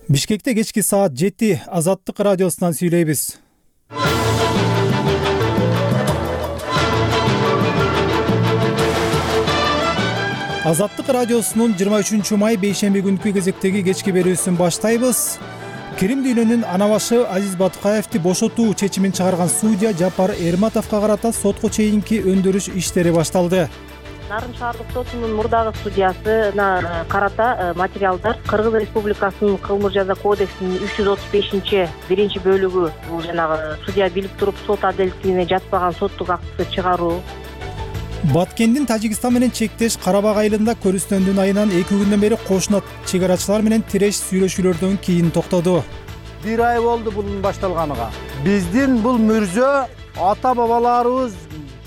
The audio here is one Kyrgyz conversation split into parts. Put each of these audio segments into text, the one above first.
Бишкекте кечки саат 7 Азаттык радиосунан сүйлөйбүз. Азаттык радиосунун 23 май бейшемби күнкү кезектеги кечки берүүсүн баштайбыз. Крим дүйнөнүн ана башы Азиз Батукаевди бошотуу чечимин чыгарган судья Жапар Эрматовго карата сотко чейинки өндүрүш иштери башталды. Нарын шаардык сотунун мурдагы судьясына карата материалдар Кыргыз Республикасынын кылмыш жаза кодексинин 335-биринчи бөлүгү, бул жанагы судья билип туруп сот адилеттигине жатпаган соттук акты чыгаруу. Баткендин Тажикстан менен чектеш Карабак айылында көрүстөндүн айынан 2 күндөн бери кошуна чек арачылар менен тиреш сүйлөшүүлөрдөн кийин токтоду. Бир ай болду bunun башталганыга. Биздин бул мүрзө ата бабаларыбыз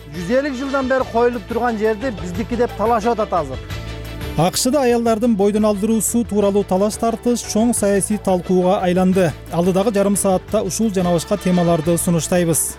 150 жылдан бери коюлуп турган жерди биздики деп талашып атат азыр. АКШда аялдардын бойдон алдыруусу тууралуу талаш тартыш чоң саясий талкууга айланды. Алдыдагы жарым саатта ушул жана башка темаларды сунуштайбыз.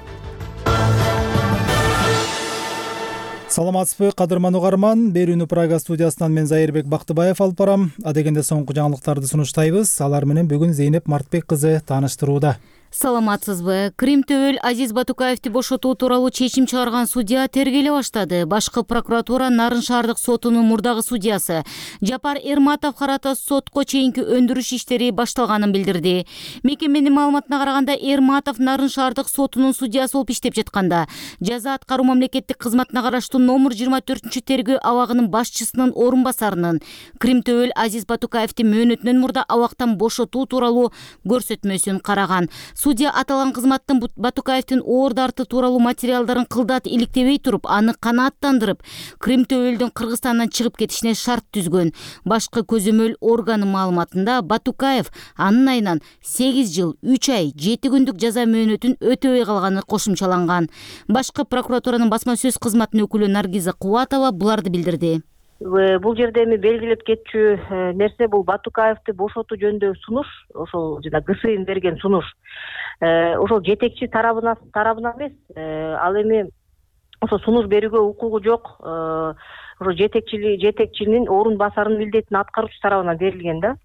Саламатсызбы, кадырман угарман. Берүүнү Прага студиясынан мен Зайырбек Бактыбаев алып барам. Адегенде соңку жаңылыктарды сунуштайбыз. Алар менен бүгүн Зейнеп Мартбек кызы тааныштырууда. Саламатсызбы. Крим төбөл Азиз Батукаевди бошотуу тууралуу чечим чыгарган судья тергеле баштады. Башкы прокуратура Нарын шаардык сотунун мурдагы судьясы Жапар Эрматов карата сотко чейинки өндүрүш иштери башталганын билдирди. Мекеменин маалыматына караганда, Эрматов Нарын шаардык сотунун судьясы болуп иштеп жатканда жаза аткаруу мамлекеттик кызматына караштуу номер 24-тергөө абагынын башчысынын орун басарынын Крим төбөл Азиз Батукаевди мөөнөтүнөн мурда абактан бошотуу тууралуу көрсөтмөсүн караган. Судья аталган кызматтын Батукаевдин оор дарты тууралуу материалдарын кылдат иликтебей туруп, аны канааттандырып, Крим төбөлдүн Кыргызстандан чыгып кетишине шарт түзгөн. Башкы көзөмөл органы маалыматында Батукаев анын айынан 8 жыл, 3 ай, 7 күндүк жаза мөөнөтүн өтөбөй калганы кошумчаланган. Башкы прокуратуранын басма сөз кызматынын өкүлү Наргиза Кубатова буларды билдирди. Бул жерде эми белгилеп кетчү нерсе бул Батукаевди бошотуу жөнүндө сунуш, ошол жана ГСИН берген сунуш. Ошол жетекчи тарабынан эмес, ал эми ошо сунуш берүүгө укугу жок, ошо жетекчинин орун басарынын милдетин аткаруучу тарабынан берилген да.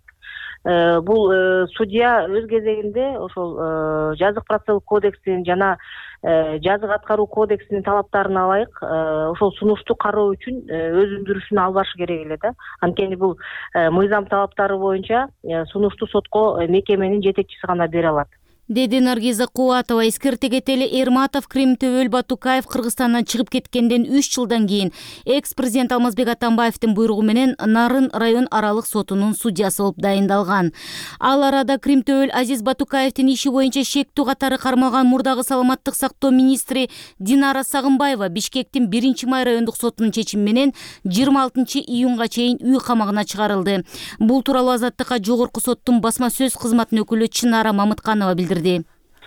Бул судья өз кезегинде ошол жазык процессуалдык кодекстин жана жазык аткаруу кодексинин талаптарына ылайык ошол сунушту кароо үчүн өз өндүрүшүн алып барышы керек эле да. Анткени бул мыйзам талаптары боюнча сунушту сотко мекеменин жетекчиси гана бере алат, деди Наргиза Кубатова. Эскерте кетели, Эрматов Крим төбөл Батукаев Кыргызстандан чыгып кеткенден 3 жылдан кийин экс-президент Алмазбек Атамбаевдин буйругу менен Нарын район аралык сотунун судьясы болуп дайындалган. Ал арада Крим төбөл Азиз Батукаевдин иши боюнча шектүү катары кармалган мурдагы саламаттык сактоо министри Динара Сагынбаева Бишкектин 1 май райондук сотунун чечими менен 26 июнга чейин үй камагына чыгарылды. Бул тууралуу Азаттыкка жогорку соттун басма сөз кызматынын өкүлү Чынара Мамытканова билдирди.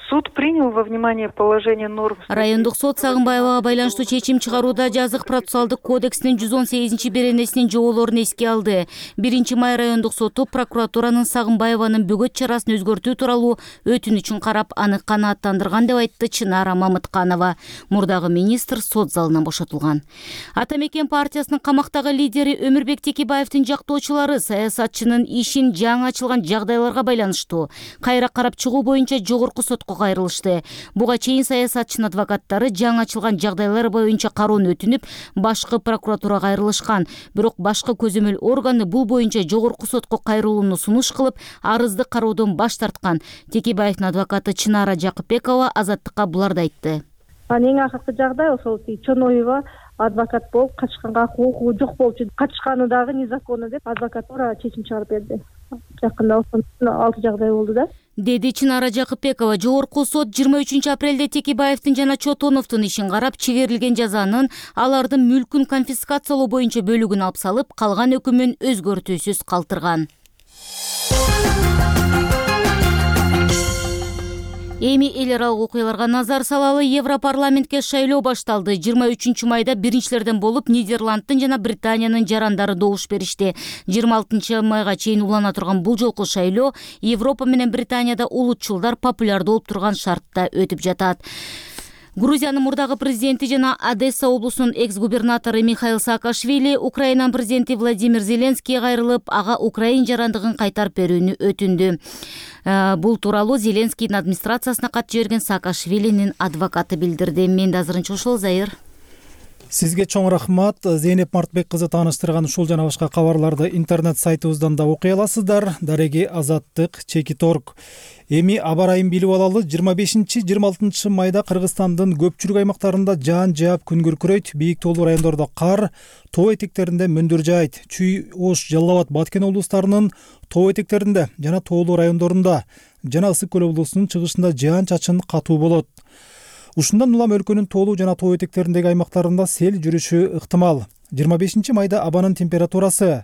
Суд принял во внимание положение норм. Райондук сот Сагынбаевага байланыштуу чечим чыгарууда жазык процессуалдык кодексинин 118 беренесинин жоболорун эске алды. 1 май райондук соту прокуратуранын Сагынбаеванын бөгөт чарасын өзгөртүү тууралуу өтүнүчүн карап, аны канааттандырган деп айтты Чынара Мамытканова. Мурдагы министр сот залынан бошотулган. Ата Мекен партиясынын камактагы лидери Өмүрбек Текебаевдин жактоочулары саясатчынын ишин жаңы ачылган жагдайларга байланыштуу кайра карап чыгуу боюнча жогорку сотко кайрылышты. Буга чейин саясатчынын адвокаттары жаңы ачылган жагдайлар боюнча кароону өтүнүп, башкы прокуратурага кайрылышкан. Бирок башкы көзөмөл органы бул боюнча жогорку сотко кайрылууну сунуш кылып, арызды кароодон баш тарткан. Текебаевдин адвокаты Чынара Жакыпбекова Азаттыкка буларды айтты. Эң акыркы жагдай ошол Чоноева адвокат болуп качканга укугу жок болчу. Качканы дагы незаконно деп адвокатура чечим чыгарып берди. Жакында 6 жагдай болду да, деди Чынара Жакыпбекова. Жогорку сот 23 апрелде Текебаевдин жана Чотоновдун ишин карап, чегерилген жазанын алардын мүлкүн конфискациялоо боюнча бөлүгүн алып салып, калган өкүмүн өзгөртүүсүз калтырган. Эми эл аралык окуяларга назар салалы. Европарламентке шайлоо башталды. 23 майда биринчилерден болуп Нидерландтын жана Британиянын жарандары добуш беришти. 26 майга чейин улана турган бул жолку шайлоо Европа менен Британияда улутчулдар популярдуу болуп турган шартта өтүп жатат. Грузиянын мурдагы президенти жана Одесса облусунун экс-губернатору Михаил Саакашвили Украинанын президенти Владимир Зеленскийге кайрылып, ага Украин жарандыгын кайтарып берүүнү өтүндү. Бул тууралуу Зеленскийдин администрациясына кат жиберген Саакашвилинин адвокаты билдирди. Мен да азырынча ушул, Зайыр. Сизге чоң рахмат. Зейнеп Мартбек кызы тааныштырган ушул жана башка кабарларды интернет сайтыбыздан да окуй аласыздар. Дареги Азаттык /org. Эми аба ырайын билип алалы. 25-26 майда Кыргызстандын көпчүлүк аймактарында жаан жаап күн күркүрөйт. Бийик тоолуу райондордо кар, тоо этектеринде мөндүр жаайт. Чүй, Ош, Жалал Абад, Баткен облустарынын тоо этектеринде жана тоолуу райондорунда жана Ысык көл облусунун чыгышында жаан-чачын катуу болот. Ушундан улам өлкөнүн тоолуу жана тоо этектериндеги аймактарында сел жүрүшү ыктымал. 25 майда абанын температурасы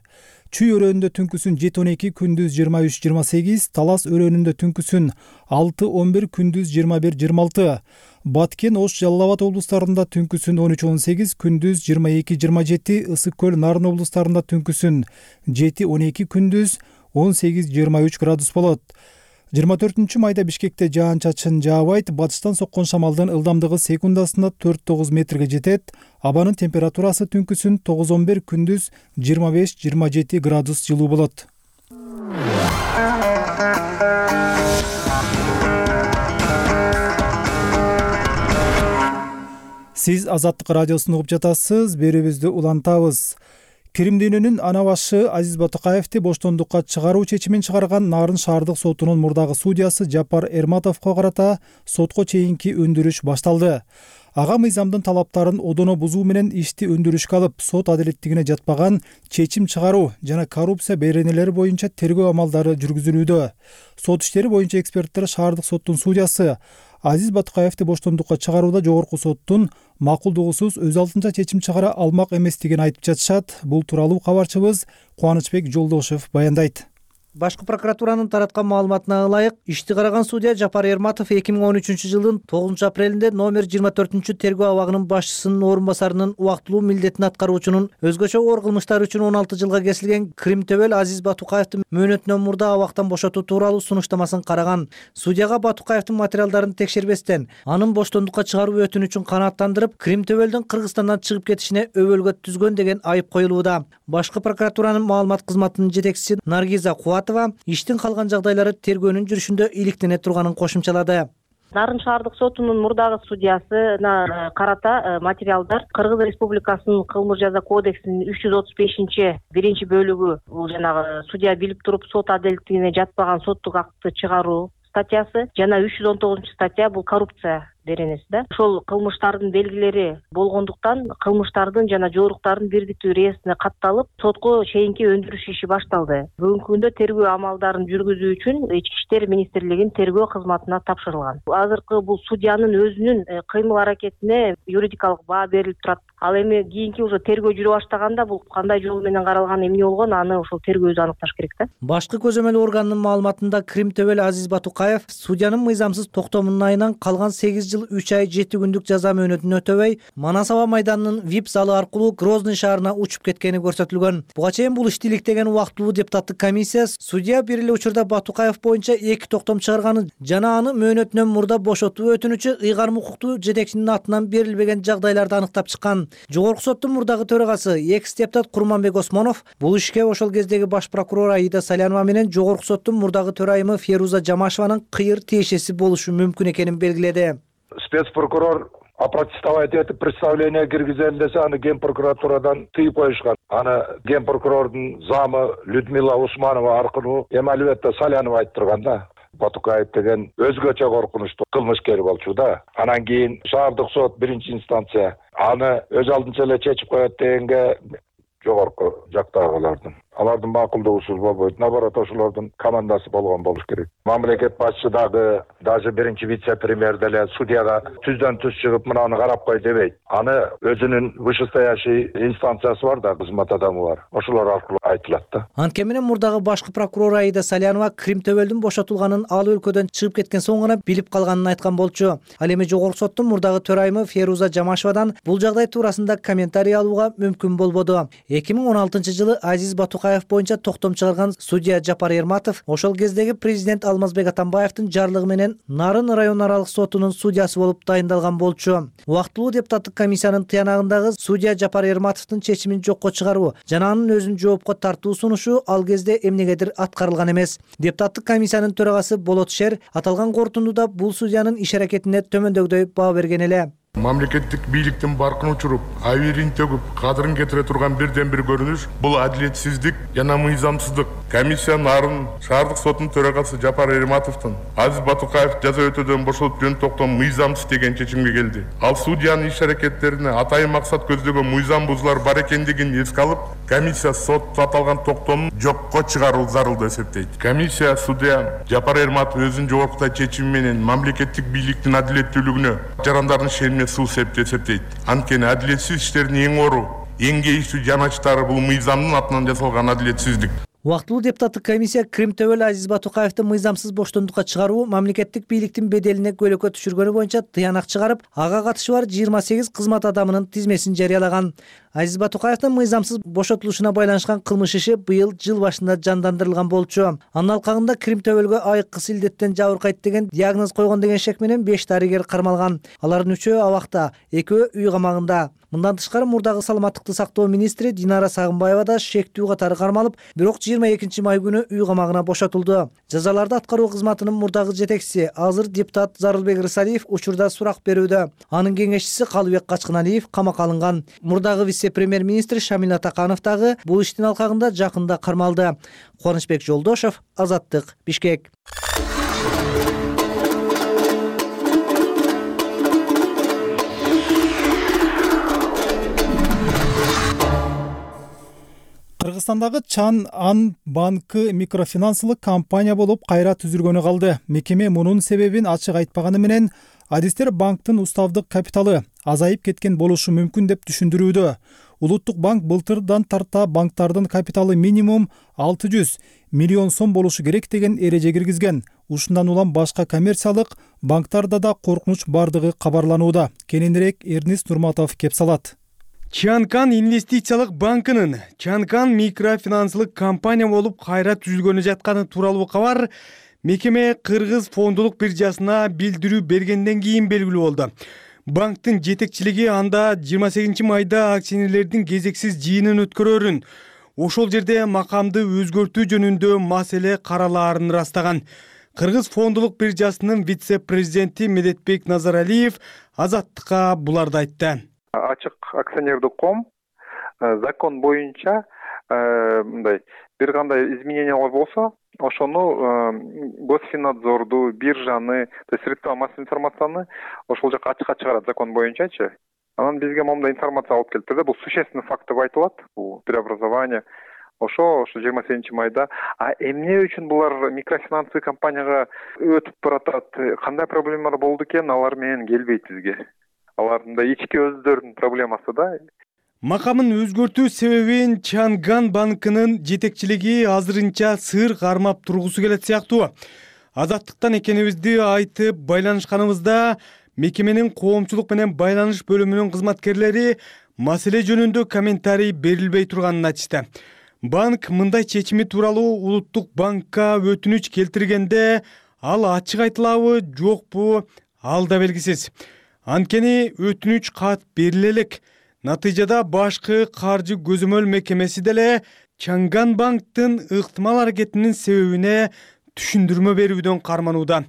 Чүй өрөөнүндө түнкүсүн 7-12, күндүз 23-28, Талас өрөөнүндө түнкүсүн 6-11, күндүз 21-26, Баткен, Ош, Жалал Абад облустарында түнкүсүн 13-18, күндүз 22-27, Ысык көл, Нарын облустарында түнкүсүн 7-12, күндүз 18-23 градус болот. 24 майда Бишкекте жаан-чачын жаабайт. Батыштан соккон шамалдын ылдамдыгы секундасына 4-9 метрге жетет. Абанын температурасы түнкүсүн 9-11, күндүз 25-27 градус жылуу болот. Сиз Азаттык радиосун угуп жатасыз. Берүүбүздү улантабыз. Крим дүйнөнүн ана башы Азиз Батукаевди боштондукка чыгаруу чечимин чыгарган Нарын шаардык сотунун мурдагы судьясы Жапар Эрматовго карата сотко чейинки өндүрүш башталды. Ага мыйзамдын талаптарын одоно бузуу менен ишти өндүрүшкө алып, сот адилеттигине жатпаган чечим чыгаруу жана коррупция беренелери боюнча тергөө амалдары жүргүзүлүүдө. Сот иштери боюнча эксперттер шаардык соттун судьясы Азиз Батукаевди боштондукка чыгарууда жогорку соттун макулдугусуз өз алдынча чечим чыгара алмак эместигин айтып жатышат. Бул тууралуу кабарчыбыз Кубанычбек Жолдошев баяндайт. Башкы прокуратуранын тараткан маалыматына ылайык, ишти караган судья Жапар Эрматов 2013 жылдын 9 апрелинде номер 24 тергөө абагынын башчысынын орун басарынын убактылуу милдетин аткаруучунун өзгөчө оор кылмыштар үчүн 16 жылга кесилген Крим төбөл Азиз Батукаевди мөөнөтүнөн мурда абактан бошотуу тууралуу сунуштамасын караган. Судьяга Батукаевдин материалдарын текшербестен, анын боштондукка чыгаруу өтүнүчүн канааттандырып, Крим төбөлдүн Кыргызстандан чыгып кетишине өбөлгө түзгөн деген айып коюлууда. Башкы прокуратуранын маалымат кызматынын жетекчиси Наргиза иштин калган жагдайлары тергөөнүн жүрүшүндө иликтене турганын кошумчалады. Нарын шаардык сотунун мурдагы судьясына карата материалдар Кыргыз Республикасынын кылмыш жаза кодексинин 335-биринчи бөлүгү, бул жанагы судья билип туруп сот адилеттигине жатпаган соттук акты чыгаруу статьясы жана 319-статья бул коррупция беренеси да. Ошол кылмыштардын белгилери болгондуктан кылмыштардын жана жооруктардын бирдиктүү реестрине катталып, сотко чейинки өндүрүш иши башталды. Бүгүнкү күндө тергөө амалдарын жүргүзүү үчүн Ички иштер министрлигинин тергөө кызматына тапшырылган. Азыркы бул судьянын өзүнүн кыймыл аракетине юридикалык баа берилип турат. Ал эми кийинки уже тергөө жүрө баштаганда бул кандай жол менен каралган, эмне болгон, аны ошол тергөө өзү аныкташ керек да. Башкы көзөмөл органынын маалыматында Крим төбөл Азиз Батукаев судьянын мыйзамсыз токтомунун айынан калган 8 жыл 3 ай 7 күндүк жаза мөөнөтүн өтөбөй, Манас аба майданынын VIP залы аркылуу Грозный шаарына учуп кеткени көрсөтүлгөн. Буга чейин бул ишти иликтеген убактылуу депутаттык комиссия судья бир эле учурда Батукаев боюнча 2 токтом чыгарганын жана аны мөөнөтүнөн мурда бошотуу өтүнүчү ыйгарым укуктуу жетекчинин атынан берилбеген жагдайларды аныктап чыккан. Жогорку соттун мурдагы төрагасы экс-депутат Курманбек Осмонов бул ишке ошол кездеги баш прокурор Аида Салянова менен жогорку соттун мурдагы төрайымы Феруза Жамашеванын кыйыр тиешеси болушу мүмкүн экенин белгиледи. Спецпрокурор опротестовать этип представление киргизем десе, аны ген прокуратурадан тыйып коюшкан. Аны ген прокурордун замы Людмила Усманова аркылуу эми албетте Салянова айтып турган да. Батукаев деген өзгөчө коркунучтуу кылмышкер болчу да. Анан кийин шаардык сот биринчи инстанция аны өз алдынча эле чечип коет дегенге жогорку жактагылардын алардын макулдугусуз болбойт. Наоборот, ошолордун командасы болгон болуш керек. Мамлекет башчы дагы, даже биринчи вице-премьер деле судьяга түздөн түз чыгып мынаны карап кой дебейт. Аны өзүнүн вышестоящий инстанциясы бар да, кызмат адамы бар. Ошолор аркылуу айтылат да. Анткени менен мурдагы башкы прокурор Аида Салянова Крим төбөлдүн бошотулганын, ал өлкөдөн чыгып кеткен соң гана билип калганын айткан болчу. Ал эми жогорку соттун мурдагы төрайымы Феруза Жамашевадан бул жагдай туурасында комментарий алууга мүмкүн болбоду. 2016 жылы Азиз Батукаев Батукаев боюнча токтом чыгарган судья Жапар Эрматов ошол кездеги президент Алмазбек Атамбаевдин жарлыгы менен Нарын район аралык сотунун судьясы болуп дайындалган болчу. Убактылуу депутаттык комиссиянын тыянагындагы судья Жапар Эрматовдун чечимин жокко чыгаруу жана анын өзүн жоопко тартуу сунушу ал кезде эмнегедир аткарылган эмес. Депутаттык комиссиянын төрагасы Болот Шер аталган корутундуда бул судьянын иш-аракетине төмөндөгүдөй баа берген эле. Мамлекеттик бийликтин баркын учуруп, абийирин төгүп, кадырын кетире турган бирден бир көрүнүш бул адилетсиздик жана мыйзамсыздык. Комиссия Нарын шаардык сотунун төрагасы Жапар Эрматовдун Азиз Батукаев жаза өтөөдөн бошотуп жөн токтом мыйзамсыз деген чечимге келди. Ал судьянын иш-аракеттерине атайын максат көздөгөн мыйзам бузуулар бар экендигин эске алып, комиссия сот аталган токтомун жокко чыгаруу зарыл деп эсептейт. Комиссия судья Жапар Эрматов өзүнүн жогорку чечими менен мамлекеттик бийликтин адилеттүүлүгүнө жарандардын шенine суу сеп эсептейт. Анткени адилетсиз иштердин эң ору, эң кейиштүү жаначтары бул мыйзамдын атынан жасалган адилетсиздик. Убактылуу депутаттык комиссия Крим төбөл Азиз Батукаевди мыйзамсыз боштондукка чыгаруу мамлекеттик бийликтин беделине көйгөйкө түшүргөнү боюнча тыянак чыгарып, ага катышы бар 28 кызмат адамынын тизмесин жарыялаган. Азиз Батукаевдин мыйзамсыз бошотулушуна байланышкан кылмыш иши быйыл жыл башында жандандырылган болчу. Анын алкагында Крим төбөлгө айыккыс илдеттен жабыркайт деген диагноз койгон деген шек менен 5 дарыгер кармалган. Алардын 3-өө абакта, 2-өө үй камагында. Мындан тышкары мурдагы саламаттыкты сактоо министри Динара Сагынбаева да шектүү катары кармалып, бирок 22 май күнү үй камагына бошотулду. Жазаларды аткаруу кызматынын мурдагы жетекчиси азыр депутат Зарылбек Рысалиев учурда сурак берүүдө. Анын кеңешчиси Калыбек Качкыналиев камакка алынган. Мурдагы вице-премьер-министр Шамил Атаканов дагы бул иштин алкагында жакында кармалды. Кубанычбек Жолдошов, Азаттык, Бишкек. Кыргызстандагы Чан Ан банкы микрофинансылык компания болуп кайра түзүлгөнү калды. Мекеме мунун себебин ачык айтпаганы менен адистер банктын уставдык капиталы азайып кеткен болушу мүмкүн деп түшүндүрүүдө. Улуттук банк былтырдан тарта банктардын капиталы минимум 600 миллион сом болушу керек деген эреже киргизген. Ушундан улам башка коммерциялык банктарда да коркунуч бардыгы кабарланууда. Кененирээк Эрнис Нурматов кеп салат. Чанкан инвестициялык банкынын Чанкан микрофинансылык компания болуп кайра түзүлгөнү жатканы тууралуу кабар мекеме Кыргыз фондулук биржасына билдирүү бергенден кийин белгилүү болду. Банктын жетекчилиги анда 28 майда акционерлердин кезексиз жыйынын өткөрөрүн, ошол жерде макамды өзгөртүү жөнүндө маселе каралаарын ырастаган. Кыргыз фондулук биржасынын вице-президенти Медетбек Назаралиев Азаттыкка буларды айтты. Ачык акционердик ком закон боюнча мындай бир кандай изменениялар болсо, ошону Госфиннадзорду, биржаны, то есть средства массовой информацияны ошол жака ачыкка чыгарат закон боюнчачы. Анан бизге момундай информация алып келиптир да, бул существенный факт деп айтылат, бул преобразование. Ошо 28 майда. А эмне үчүн булар микрофинансовый компанияга өтүп баратат? Кандай проблемалар болду экен, алар менен келбейт бизге. Алардын да ички өздөрүнүн проблемасы да. Макамын өзгөртүү себебин Чанган банкынын жетекчилиги азырынча сыр кармап тургусу келет сыяктуу. Азаттыктан экенибизди айтып байланышканыбызда мекеменин коомчулук менен байланыш бөлүмүнүн кызматкерлери маселе жөнүндө комментарий берилбей турганын айтышты. Банк мындай чечими тууралуу улуттук банкка өтүнүч келтиргенде ал ачык айтылабы, жокпу, ал да белгисиз. Анткени өтүнүч кат бериле элек. Натыйжада башкы каржы көзөмөл мекемеси деле Чанган банктын ыктымал аракетинин себебине түшүндүрмө берүүдөн карманууда.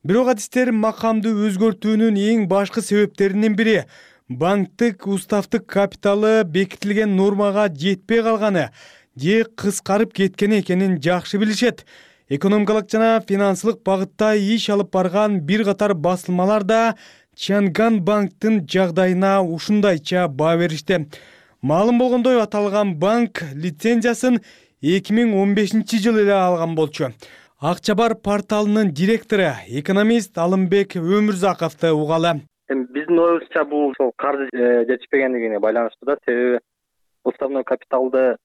Бирок адистер макамды өзгөртүүнүн эң башкы себептеринин бири банктык уставдык капиталы бекитилген нормага жетпей калганы же кыскарып кеткени экенин жакшы билишет. Экономикалык жана финансылык багытта иш алып барган бир катар басылмалар да Чанган банктын жагдайына ушундайча баа беришти. Маалым болгондой, аталган банк лицензиясын 2015-жылы эле алган болчу. Акчабар порталынын директору, экономист Алымбек Өмүрзаковду угалы. Биздин оюбузча бул каржы жетишпегендигине байланыштуу да, себеби уставной капиталды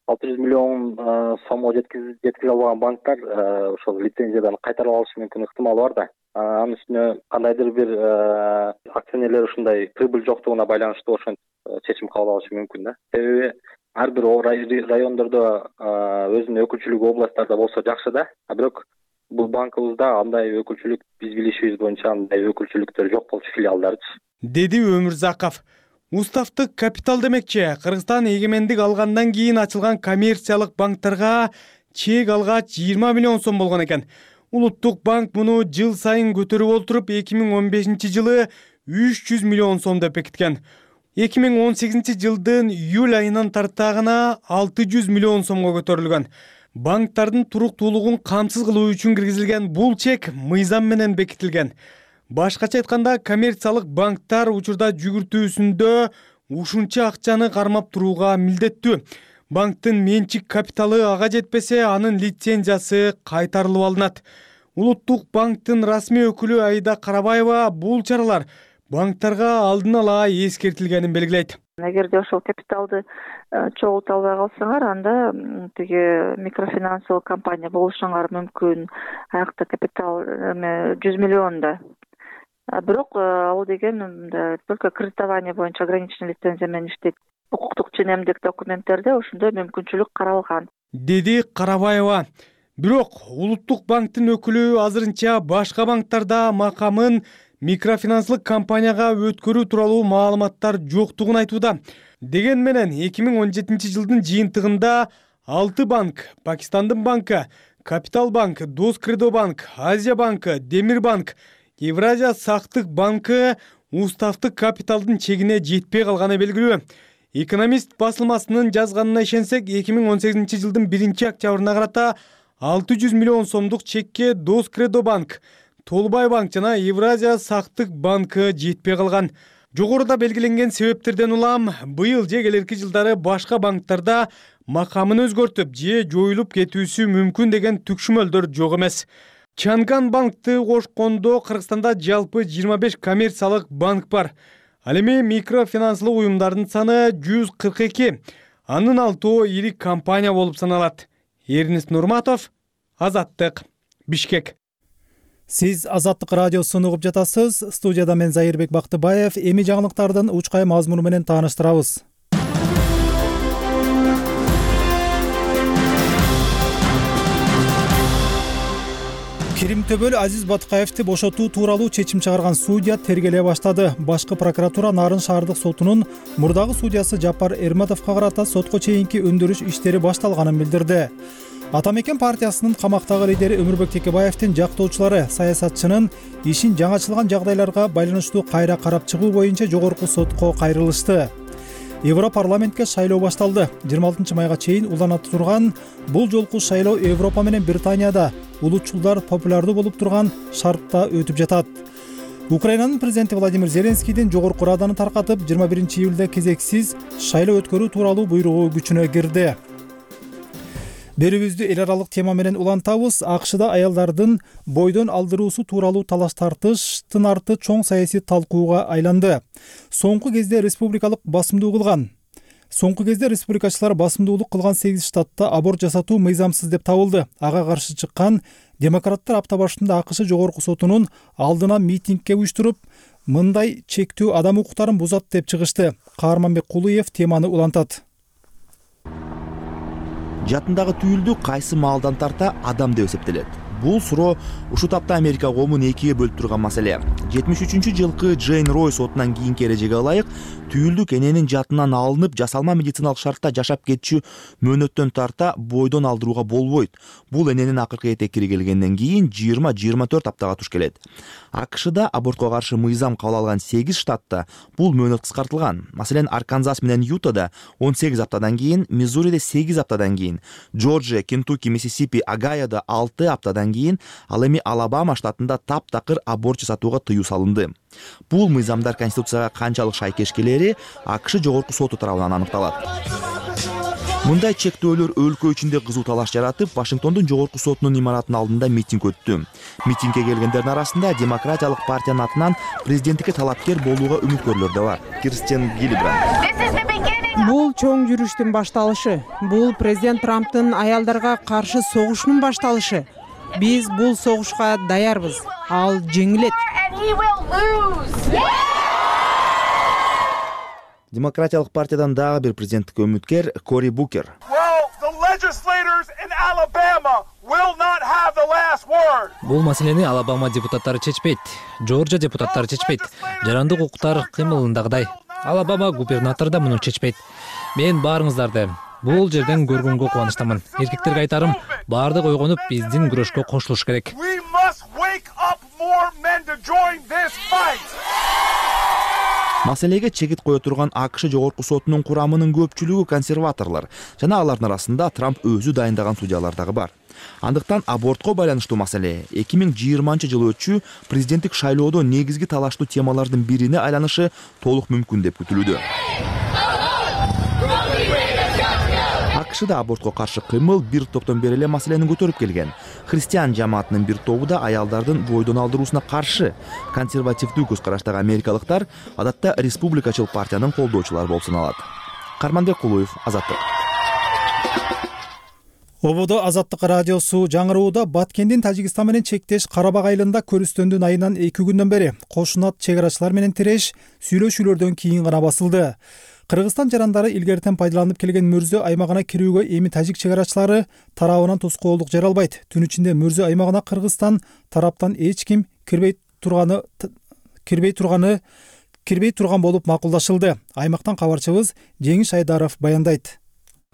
600 миллион сомго жеткизе албаган банктар ошол лицензиядан кайтарып алышы мүмкүн ыктымал бар да. Анын үстүнө кандайдыр бир акционерлер ушундай прибыль жоктугуна байланыштуу ошентип чечим кабыл алышы мүмкүн да. Себеби ар бир райондордо өзүнүн өкүлчүлүгү областтарда болсо жакшы да. Бирок бул банкыбызда андай өкүлчүлүк биз билишибиз боюнча андай өкүлчүлүктөр жок болчу, филиалдарчы, деди Өмүрзаков. Уставдык капитал демекчи, Кыргызстан эгемендик алгандан кийин ачылган коммерциялык банктарга чек алгач 20 миллион сом болгон экен. Улуттук банк муну жыл сайын көтөрүп олтуруп 2015-жылы 300 миллион сом деп бекиткен. 2018-жылдын июль айынан тартаагына 600 миллион сомго көтөрүлгөн. Банктардын туруктуулугун камсыз кылуу үчүн киргизилген бул чек мыйзам менен бекитилген. Башкача айтканда, коммерциялык банктар учурда жүгүртүүсүндө ушунча акчаны кармап турууга милдеттүү. Банктын менчик капиталы ага жетпесе, анын лицензиясы кайтарылып алынат. Улуттук банктын расмий өкүлү Аида Карабаева бул чаралар банктарга алдын ала эскертилгенин белгилейт. Эгерде ошол капиталды чогулта албай калсаңар, анда тиги микрофинансылык компания болушуңар мүмкүн. Аякта капитал 100 миллион да. Бирок ал деген только кредитование боюнча ограниченный лицензия менен иштейт. Укуктук ченемдик документтерде ошондой мүмкүнчүлүк каралган, деди Карабаева. Бирок Улуттук банктын өкүлү азырынча башка банктарда макамын микрофинансылык компанияга өткөрүү тууралуу маалыматтар жоктугун айтууда. Деген менен 2017-жылдын жыйынтыгында 6 банк, Пакистандын банкы, Капитал банк, Доскредо банк, Азия банкы, Демир банк, Евразия сактык банкы уставдык капиталдын чегине жетпей калганы белгилүү. Экономист басылмасынын жазганына ишенсек, 2018-жылдын 1-октябрына карата 600 миллион сомдук чекке Доскредо банк, Толбай банк жана Евразия сактык банкы жетпей калган. Жогоруда белгиленген себептерден улам быйыл же келерки жылдары башка банктарда макамын өзгөртүп же жоюлуп кетүүсү мүмкүн деген түкшүмөлдөр жок эмес. Чанган банкты кошкондо Кыргызстанда жалпы 25 коммерциялык банк бар. Ал эми микрофинансылык уюмдардын саны 142. Анын 6 ири компания болуп саналат. Эрнест Нурматов, Азаттык, Бишкек. Сиз Азаттык радиосун угуп жатасыз. Студияда мен Зайырбек Бактыбаев. Эми жаңылыктардын учкай мазмуну менен тааныштырабыз. Кирим-төбөл Азиз Батукаевди бошотуу тууралуу чечим чыгарган судья тергеле баштады. Башкы прокуратура Нарын шаардык сотунун мурдагы судьясы Жапар Эрматовго карата сотко чейинки өндүрүш иштери башталганын билдирди. Атамекен партиясынын камактагы лидери Өмүрбек Текебаевдин жактоочулары саясатчынын ишин жаңачылган жагдайларга байланыштуу кайра карап чыгуу боюнча жогорку сотко кайрылышты. Европарламентке шайлоо башталды. 26 майга чейин уланат турган бул жолку шайлоо Европа менен Британияда улутчулдар популярдуу болуп турган шартта өтүп жатат. Украинанын президенти Владимир Зеленскийдин жогорку раданы таркатып, 21-июлда кезексиз шайлоо өткөрүү тууралуу буйругу күчүнө кирди. Берүүбүздү эл аралык тема менен улантабыз. АКШда аялдардын бойдон алдыруусу тууралуу талаш тартыштын арты чоң саясий талкууга айланды. Соңку кезде республикачылар басымдуулук кылган 8 штатта аборт жасатуу мыйзамсыз деп табылды. Ага каршы чыккан демократтар апта башында АКШ жогорку сотунун алдына митингге уюштуруп, мындай чектөө адам укуктарын бузат деп чыгышты. Каарманбек Кулуев теманы улантат. Жатындагы түйүлдү кайсы маалдан тарта адам деп эсептелет? Бул суроо ушул тапта Америка коомун экиге бөлүп турган маселе. 73-жылкы Джейн Рой сотунан кийинки эрежеге ылайык, түйүлдүк эненин жатынан алынып, жасалма медициналык шартта жашап кетчү мөөнөттөн тарта бойдон алдырууга болбойт. Бул эненин акыркы этекири келгенден кийин 20-24 аптага туш келет. АКШда абортко каршы мыйзам кабыл алган 8 штатта бул мөөнөт кыскартылган. Маселен, Арканзас менен Ютада 18 аптадан кийин, Миссуриде 8 аптадан кийин, Джорджия, Кентукки, Миссисипи, Огайода 6 аптадан кийин, ал эми Алабама штатында таптакыр аборт жасатууга тыюу салынды. Бул мыйзамдар Конституцияга канчалык шайкеш келери АКШ жогорку соту тарабынан аныкталат. Мындай чектөөлөр өлкө ичинде кызуу талаш жаратып, Вашингтондун жогорку сотунун имаратынын алдында митинг өттү. Митингге келгендердин арасында демократиялык партиянын атынан президенттикке талапкер болууга үмүткөрлөр да бар. Кирстен Гиллибранд. Бул чоң жүрүштүн башталышы. Бул президент Трамптын аялдарга каршы согушунун башталышы. Биз бул согушка даярбыз. Ал жеңилет. Демократиялык партиядан дагы бир президенттикке үмүткер Кори Букер. Бул маселени Алабама депутаттары чечпейт, Жоржия депутаттары чечпейт. Жарандык укуктар кыймылындагыдай. Алабама губернатору да муну чечпейт. Мен баарыңыздарды бул жерден көргөнгө кубанычтамын. Эркектерге айтарым, баардык ойгонуп биздин күрөшкө кошулуш керек. Маселеге чегит кое турган АКШ жогорку сотунун курамынын көпчүлүгү консерваторлор жана алардын арасында Трамп өзү дайындаган судьялар дагы бар. Андыктан абортко байланыштуу маселе 2020 өтчү президенттик шайлоодо негизги талаштуу темалардын бирине айланышы толук мүмкүн деп күтүлүүдө. АКШда абортко каршы кыймыл бир топтон бери эле маселени көтөрүп келген. Христиан жамаатынын бир тобу да аялдардын бойдон алдыруусуна каршы. Консервативдүү көз караштагы америкалыктар адатта республикачыл партиянын колдоочулары болуп саналат. Карманбек Кулуев, Азаттык. Ободо Азаттык радиосу жаңырууда Баткендин Тажикстан менен чектеш Карабак айылында көрүстөндүн айынан 2 күндөн бери кошунат чек-арачылар менен тиреш сүйлөшүүлөрдөн кийин гана басылды. Кыргызстан жарандары илгертен пайдаланып келген Мөрзө аймагына кирүүгө эми тажик чек-арачылары тарабынан тоскоолдук жара албайт. Түн ичинде Мөрзө аймагына Кыргызстан тараптан эч ким кирбей турган болуп макулдашылды. Аймактан кабарчыбыз Жеңиш Айдаров баяндайт.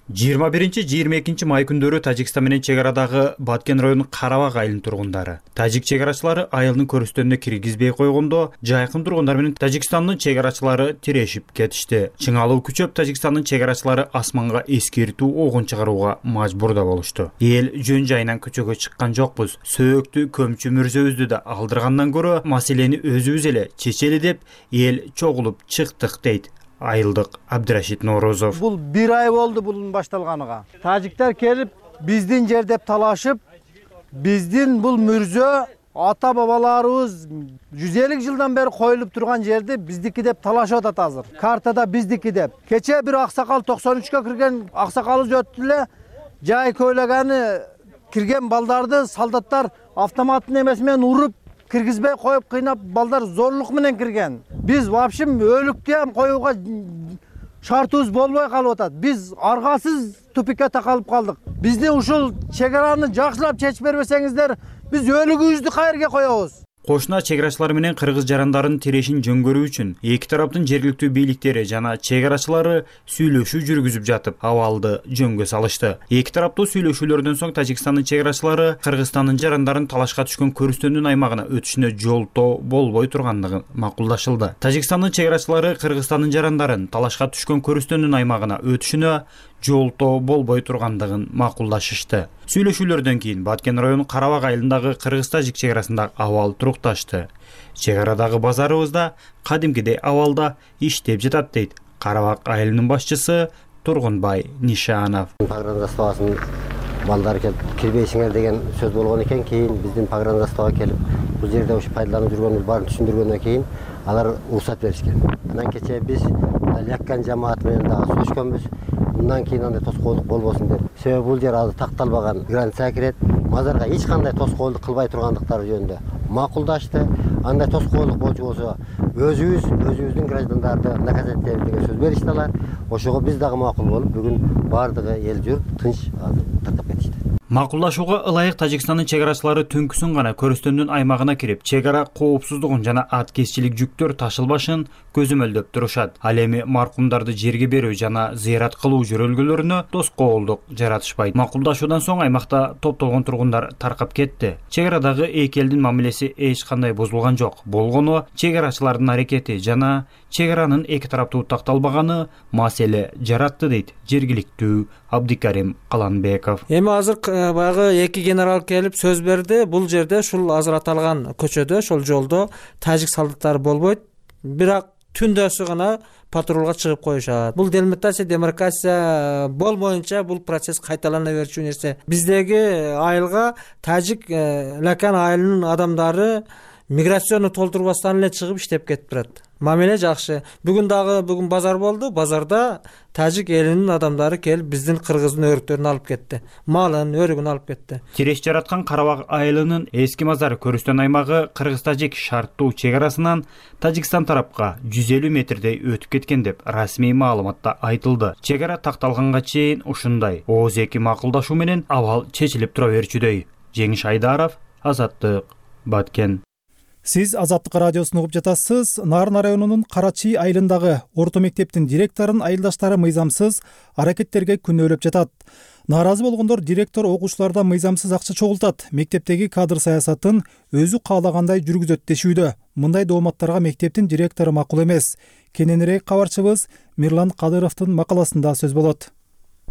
21-22 май күндөрү Тажикстан менен чек арадагы Баткен районунун Карабак айылынын тургундары тажик чек арачылары айылдын көрүстөнүнө киргизбей койгондо жайкын тургундар менен Тажикстандын чек арачылары тирешип кетишти. Чыңалуу күчөп Тажикстандын чек арачылары асманга эскертүү огун чыгарууга мажбур да болушту. Эл жөн жайынан көчөгө чыккан жокпуз. Сөөктү көмчү Мөрзөбүздү да алдыргандан көрө маселени өзүбүз эле чечели деп эл чогулуп чыктык дейт айылдык Абдырашид Ноорозов. Бул 1 ай болду бунун башталганыга. Тажиктер келип биздин жер деп талашып, биздин бул Мөрзө ата бабаларыбыз 150 жылдан бери коюлуп турган жерди биздики деп талашып атат азыр. Картада биздики деп. Кече бир аксакал 93кө кирген аксакалыбыз өттү эле, жай көйлөгөнү кирген балдарды солдаттар автоматтын эмеси менен уруп киргизбей коюп кыйнап балдар зорлук менен кирген. Биз вообще өлүктү ham коюуга шартыбыз болбой калып атат. Биз аргасыз тупикке такалып калдык. Бизди ушул чек араны жакшылап чечип бербесеңиздер, биз өлүгүбүздү кайерге коебуз? Кошуна чек арачылары менен кыргыз жарандарынын тирешин жөнгөрүү үчүн эки тараптын жергиликтүү бийликтери жана чек арачылары сүйлөшүү жүргүзүп жатып, абалды жөнгө салышты. Эки тараптуу сүйлөшүүлөрдөн соң Тажикстандын чек арачылары Кыргызстандын жарандарын талашка түшкөн көрүстөндүн аймагына өтүшүнө жолтоо болбой тургандыгы макулдашылды. Тажикстандын чек арачылары Кыргызстандын жарандарын талашка түшкөн көрүстөндүн аймагына өтүшүнө жолтоо болбой тургандыгын макулдашышты. Сүйлөшүүлөрдөн кийин Баткен районунун Карабак айылындагы кыргыз-тажик чек арасындагы абал турукташты. Чек арадагы базарыбыз да кадимкидей абалда иштеп жатат дейт Карабак айылынын башчысы Тургунбай Нишанов. Погранзаставасын балдар келип кирбейсиңер деген сөз болгон экен, кийин биздин погранзастава келип бул жерде ушу пайдаланып жүргөнүбүз баарын түшүндүргөндөн кийин алар уруксат беришкен. Андан кечээ биз Ляккан жамааты менен дагы сүйлөшкөнбүз. Bundan keyin андай тоскоолдук болбосун деп. Себеби бул жер азыр такталбаган граница кирет. Мазарга эч кандай тоскоолдук кылбай тургандыктары жөнүндө макулдашты. Андай тоскоолдук болчу болсо өзүбүздүн граждандарды наказать этебиз деген сөз беришти алар. Ошого биз дагы макул болуп, бүгүн баардыгы эл журт тынч тартып кетишти. Макулдашууга ылайык Тажикстандын чек арачылары түнкүсүн гана көрүстөндүн аймагына кирип, чек ара коопсуздугун жана аткезчилик жүктөр ташылбашын көзөмөлдөп турушат. Ал эми маркумдарды жерге берүү жана зыярат кылуу жөрөлгөлөрүнө тоскоолдук жаратышпайт. Макулдашуудан соң аймакта топтолгон тургундар таркап кетти. Чек арадагы эки элдин мамилеси эч кандай бузулган жок. Болгону чек арачылардын аракети жана чек аранын эки тараптуу такталбаганы маселе жаратты дейт жергиликтүү Абдикарим Каланбеков. Эми азыр баягы эки генерал келип сөз берди. Бул жерде ушул азыр аталган көчөдө, ошол жолдо тажик солдаттары болбойт. Бирок түндөсү гана патрулга чыгып коюшат. Бул делимитация, демаркация болмоюнча бул процесс кайталана берчү нерсе. Биздеги айылга тажик Лякан айылынын адамдары миграцияны толтурбастан эле чыгып иштеп кетип турат. Мамиле жакшы. Бүгүн базар болду. Базарда тажик элинин адамдары келип биздин кыргыздын өрүктөрүн алып кетти. Малын, өрүгүн алып кетти. Тиреш жараткан Карабак айылынын эски мазар көрүстөн аймагы кыргыз-тажик шарттуу чек арасынан Тажикстан тарапка 150 метрдей өтүп кеткен деп расмий маалыматта айтылды. Чек ара такталганга чейин ушундай ооз эки макулдашуу менен абал чечилип тура берчүдөй. Жеңиш Айдаров, Азаттык, Баткен. Сиз Азаттык радиосун угуп жатасыз. Нарын районунун Карачи айылындагы орто мектептин директорун айылдаштары мыйзамсыз аракеттерге күнөөлөп жатат. Нааразы болгондор директор окуучулардан мыйзамсыз акча чогултат, мектептеги кадр саясатын өзү каалагандай жүргүзөт дешүүдө. Мындай дооматтарга мектептин директору макул эмес. Кененирээк кабарчыбыз Мирлан Кадыровдун макаласында сөз болот.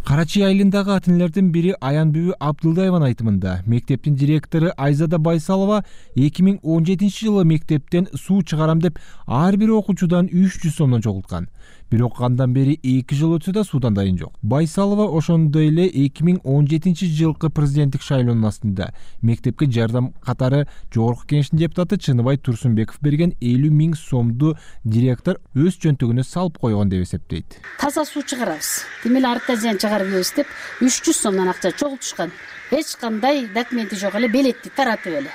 Карачи айылындагы ата-энелердин бири Аянбүбү Абдылдаеванын айтымында мектептин директору Айзада Байсалова 2017-жылы мектептен суу чыгарам деп ар бир окуучудан 300 сомдон чогулткан. Бирок андан бери 2 жыл өтсө да суудан дайын жок. Байсалова ошондой эле 2017-жылкы президенттик шайлоонун астында мектепке жардам катары жогорку кеңештин депутаты Чыныбай Турсунбеков берген 50 000 сомду директор өз чөнтөгүнө салып койгон деп эсептейт. Таза суу чыгарабыз. Демек артта зыян чыгарып ийбиз деп 300 сомдон акча чогултушкан. Эч кандай документи жок эле, белетти таратып эле.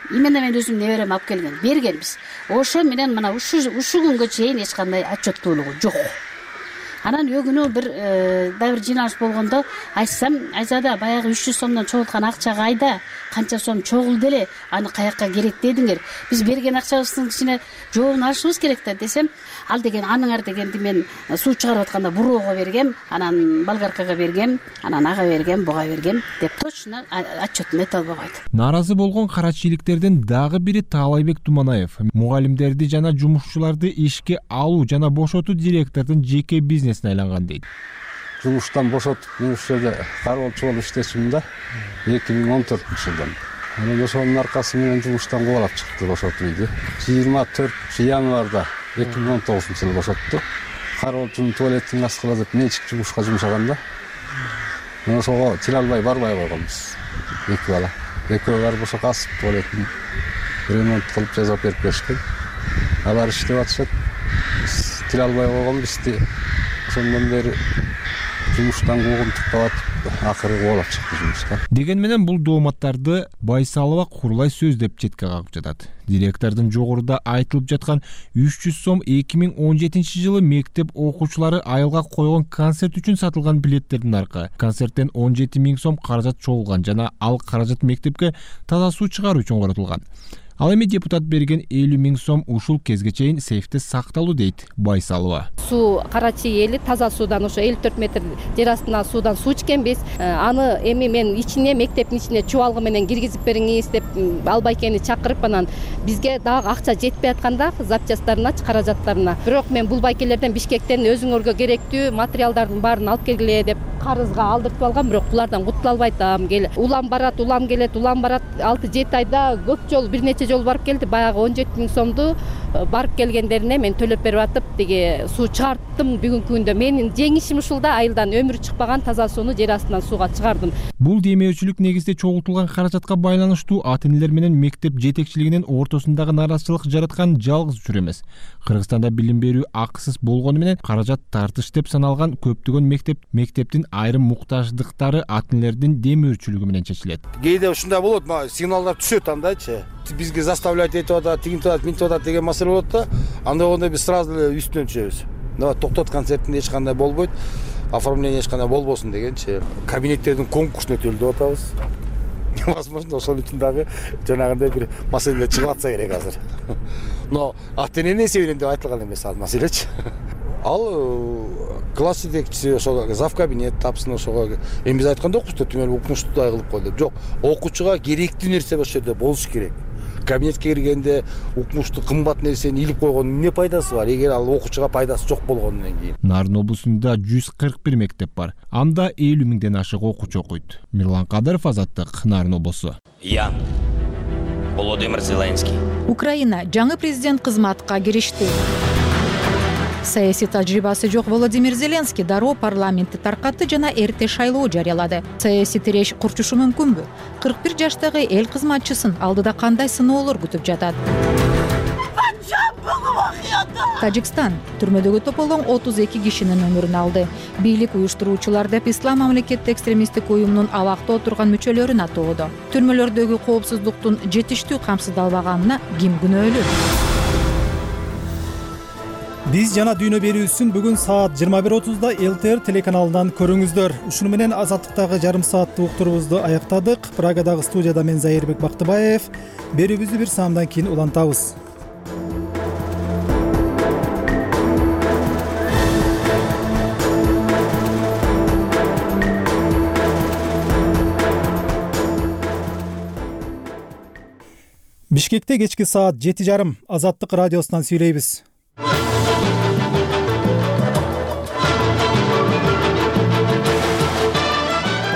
Именно мен өзүм неберем алып бергенбиз. Ошо менен мына ушу күнгө чейин эч кандай отчеттуулугу жок. Анан өгүнү бир жыйналыш болгондо айтсам, Айзада баягы 300 сомдон чогулткан акча кайда? Канча сом чогулду эле? Аны каякка керек дедиңер? Биз берген акчабыздын ичине жообун алышыбыз керек да десем, ал деген аныңар дегенди мен суу чыгарып атканда буроого бергем, анан болгаркага бергем, анан ага бергем, буга бергем деп точно отчетун айта албайт. Нааразы болгон карачиликтердин дагы бири Таалайбек Туманаев. Мугалимдерди жана жумушчуларды ишке алуу жана бошотуу директордун жеке бизнесине айланган дейт. Жумуштан бошотуп, мен ушул жерде кароолчу болуп иштечүмүн да 2014-жылдан. Анан ошонун аркасы менен жумуштан кубалап чыкты, бошотуп үйдү. 24 январда 2019-жылы бошотту. Кароолчунун туалеттин аскыла деп менчик жумушка жумшаганда ошого тиле албай барбай койгонбуз. Эки бала. Экөө барып ошо касып туалеттин ремонт кылып жасап берип беришкен. Алар иштеп атышат. Тиле албай койгонбузду. Ошондон бери жумуштан куугунтуктап атып, акыры кубалап чыкты жумуштан. Деген менен бул дооматтарды Байсалова курулай сөз деп четке кагып жатат. Директордун жогоруда айтылып жаткан 300 сом 2017-жылы мектеп окуучулары айылга койгон концерт үчүн сатылган билеттердин аркы. Концерттен 17 000 сом каражат чогулган жана ал каражат мектепке таза суу чыгаруу үчүн коротулган. Ал эми депутат берген 50 000 сом ушул кезге чейин сейфте сакталуу дейт Байсалова. Суу Карачи эли таза суудан ошо 54 метр жер астынан суудан суу ичкенбиз. Аны эми мен ичине мектептин ичине чубалгы менен киргизип бериңиз деп Албайкени чакырып, анан бизге дагы акча жетпей атканда запчасттарына, каражаттарына. Бирок мен бул байкелерден Бишкектен өзүңөргө керектүү материалдардын баарын алып келгиле деп карызга алдыртып алгам, бирок булардан кутула албайт. Улам барат, улам келет, улам барат. 6-7 айда көп жол, бир нече жол барып келди. Баягы 17 000 сомду барып келгендерине мен төлөп берип атып, деге суу чыгарттым бүгүнкү күндө. Менин жеңишим ушул да, айылдан өмүрү чыкпаган таза сууну жер астынан сууга чыгардым. Бул демөөчүлүк негизде чогултулган каражатка байланыштуу ата-энелер менен мектеп жетекчилигинин ортосундагы нааразычылык жараткан жалгыз учур эмес. Кыргызстанда билим берүү акысыз болгону менен каражат тартыш деп саналган көптөгөн мектептин айрым муктаждыктары ата-энелердин демөөчүлүгү менен чечилет. Кээде ушундай болот, сигналдар түшөт андайчы. Бизге заставлять этип атат, тигинтип атат, минтип атат деген маселе болот да. Андай болгондо биз сразу эле үстүнөн түшөбүз. Токтот, концертинде эч кандай болбойт. Оформление эч кандай болбосун дегенчи. Кабинеттердин конкурсуна өтөлдүп атабыз. Возможно, ошол үчүн дагы жанагындай бир маселелер чыгып атса керек азыр. Но ата-эненин эсебинен деп айтылган эмес ал маселечи. Ал класс жетекчиси ошого зав кабинет тапсын, ошого эми биз айткан жокпуз да түмөн укмуштуудай кылып кой деп. Жок, окуучуга керектүү нерсе ошол жерде болуш керек. Кабинетке киргенде укмуштуу кымбат нерсени илип койгондун эмне пайдасы бар, эгер ал окуучуга пайдасы жок болгондон кийин. Нарын облусунда 141 мектеп бар. Анда 50 000ден ашык окуучу окуйт. Мирлан Кадыров, Азаттык, Нарын облусу. Я Володимир Зеленский. Украина жаңы президент кызматка киришти. Саясий тажрыйбасы жок Володимир Зеленский дароо парламентти таркатты жана эрте шайлоо жарыялады. Саясий тиреш курчушу мүмкүнбү? 41 жаштагы эл кызматчысын алдыда кандай сыноолор күтүп жатат? Тажикстан түрмөдөгү тополгон 32 кишинин өмүрүн алды. Бийлик уюштуруучулар деп Ислам мамлекеттик экстремисттик уюмунун абакта отурган мүчөлөрүн атоодо. Түрмөлөрдөгү коопсуздуктун жетиштүү камсыздалбаганына ким күнөөлүү? Биз жана дүйнө берүүсүн бүгүн саат 21:30 ЛТР телеканалынан көрүңүздөр. Ушуну менен Азаттыктагы жарым сааттык уктурубузду аяктадык. Прагадагы студияда мен Зайырбек Бактыбаев. Берүүбүздү бир саамдан кийин улантабыз. Бишкекте кечки саат 7:30 Азаттык радиосунан сүйлөйбүз.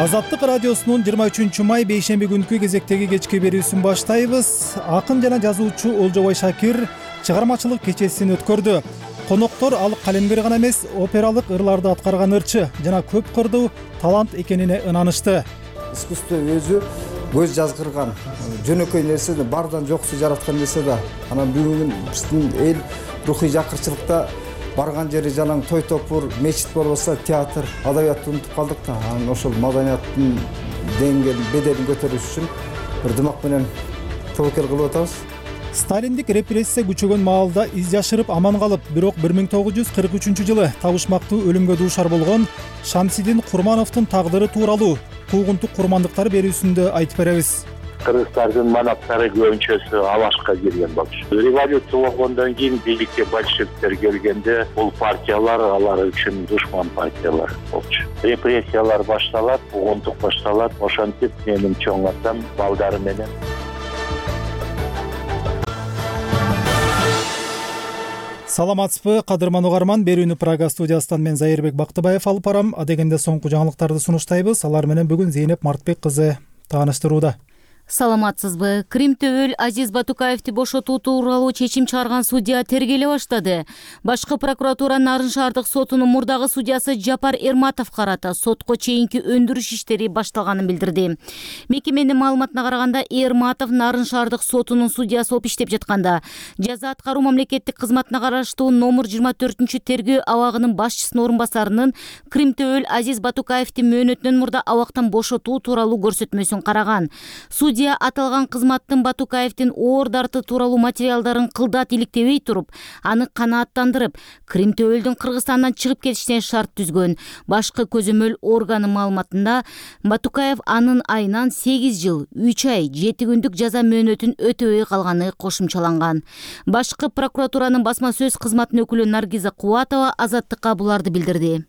Азаттык радиосунун 23 май бейшемби күнкү кезектеги кечки берүүсүн баштайбыз. Акын жана жазуучу Олжобой Шакир чыгармачылык кечесин өткөрдү. Коноктор ал калемгер гана эмес, опералык ырларды аткарган ырчы жана көп кырдуу талант экенине ынанышты. Искусство өзү көз жазгырган жөнөкөй нерсе да, бардан жоксу жараткан нерсе да. Анан бүгүн биздин эл рухий жакырчылыкта барган жери жалаң той топур, мечит болбосо театр, адабиятты унутуп калдык да. Анан ошол маданияттын деңгээлин, беделин көтөрүш үчүн бир дымак менен тобокел кылып атабыз. Сталиндик репрессия күчөгөн маалда из жашырып аман калып, бирок 1943-жылы табышмактуу өлүмгө дуушар болгон Шамсидин Курмановдун тагдыры тууралуу куугунтук курмандыктар берүүсүндө айтып беребиз. Кыргызстандын манаптары көбүнчөсү Алашка келген болчу. Революция болгондон кийин бийликке большевиктер келгенде бул партиялар алар үчүн душман партиялар болчу. Репрессиялар башталат, куугунтук башталат. Ошентип менин чоң атам балдары менен Саламатсызбы, кадырман угарман. Берүүнү Прага студиясынан мен Зайырбек Бактыбаев алып барам. Адегенде соңку жаңылыктарды сунуштайбыз. Алар менен бүгүн Зейнеп Мартбек кызы тааныштырууда. Саламатсызбы. Крим төбөл Азиз Батукаевди бошотуу тууралуу чечим чыгарган судья тергеле баштады. Башкы прокуратура Нарын шаардык сотунун мурдагы судьясы Жапар Эрматов карата сотко чейинки өндүрүш иштери башталганын билдирди. Мекеменин маалыматына караганда, Эрматов Нарын шаардык сотунун судьясы болуп иштеп жатканда жаза аткаруу мамлекеттик кызматына караштуу номер 24 тергөө абагынын башчысынын орун басарынын Крим төбөл Азиз Батукаевдин мөөнөтүнөн мурда абактан бошотуу тууралуу көрсөтмөсүн караган. Судья аталган кызматтын Батукаевдин оор дарты тууралуу материалдарын кылдат иликтебей туруп, аны канааттандырып, Крим төбөлдүн Кыргызстандан чыгып кетишине шарт түзгөн. Башкы көзөмөл органын маалыматында Батукаев анын айынан 8 жыл, 3 ай, 7 күндүк жаза мөөнөтүн өтөбөй калганы кошумчаланган. Башкы прокуратуранын басма сөз кызматынын өкүлү Наргиза Кубатова Азаттыкка буларды билдирди.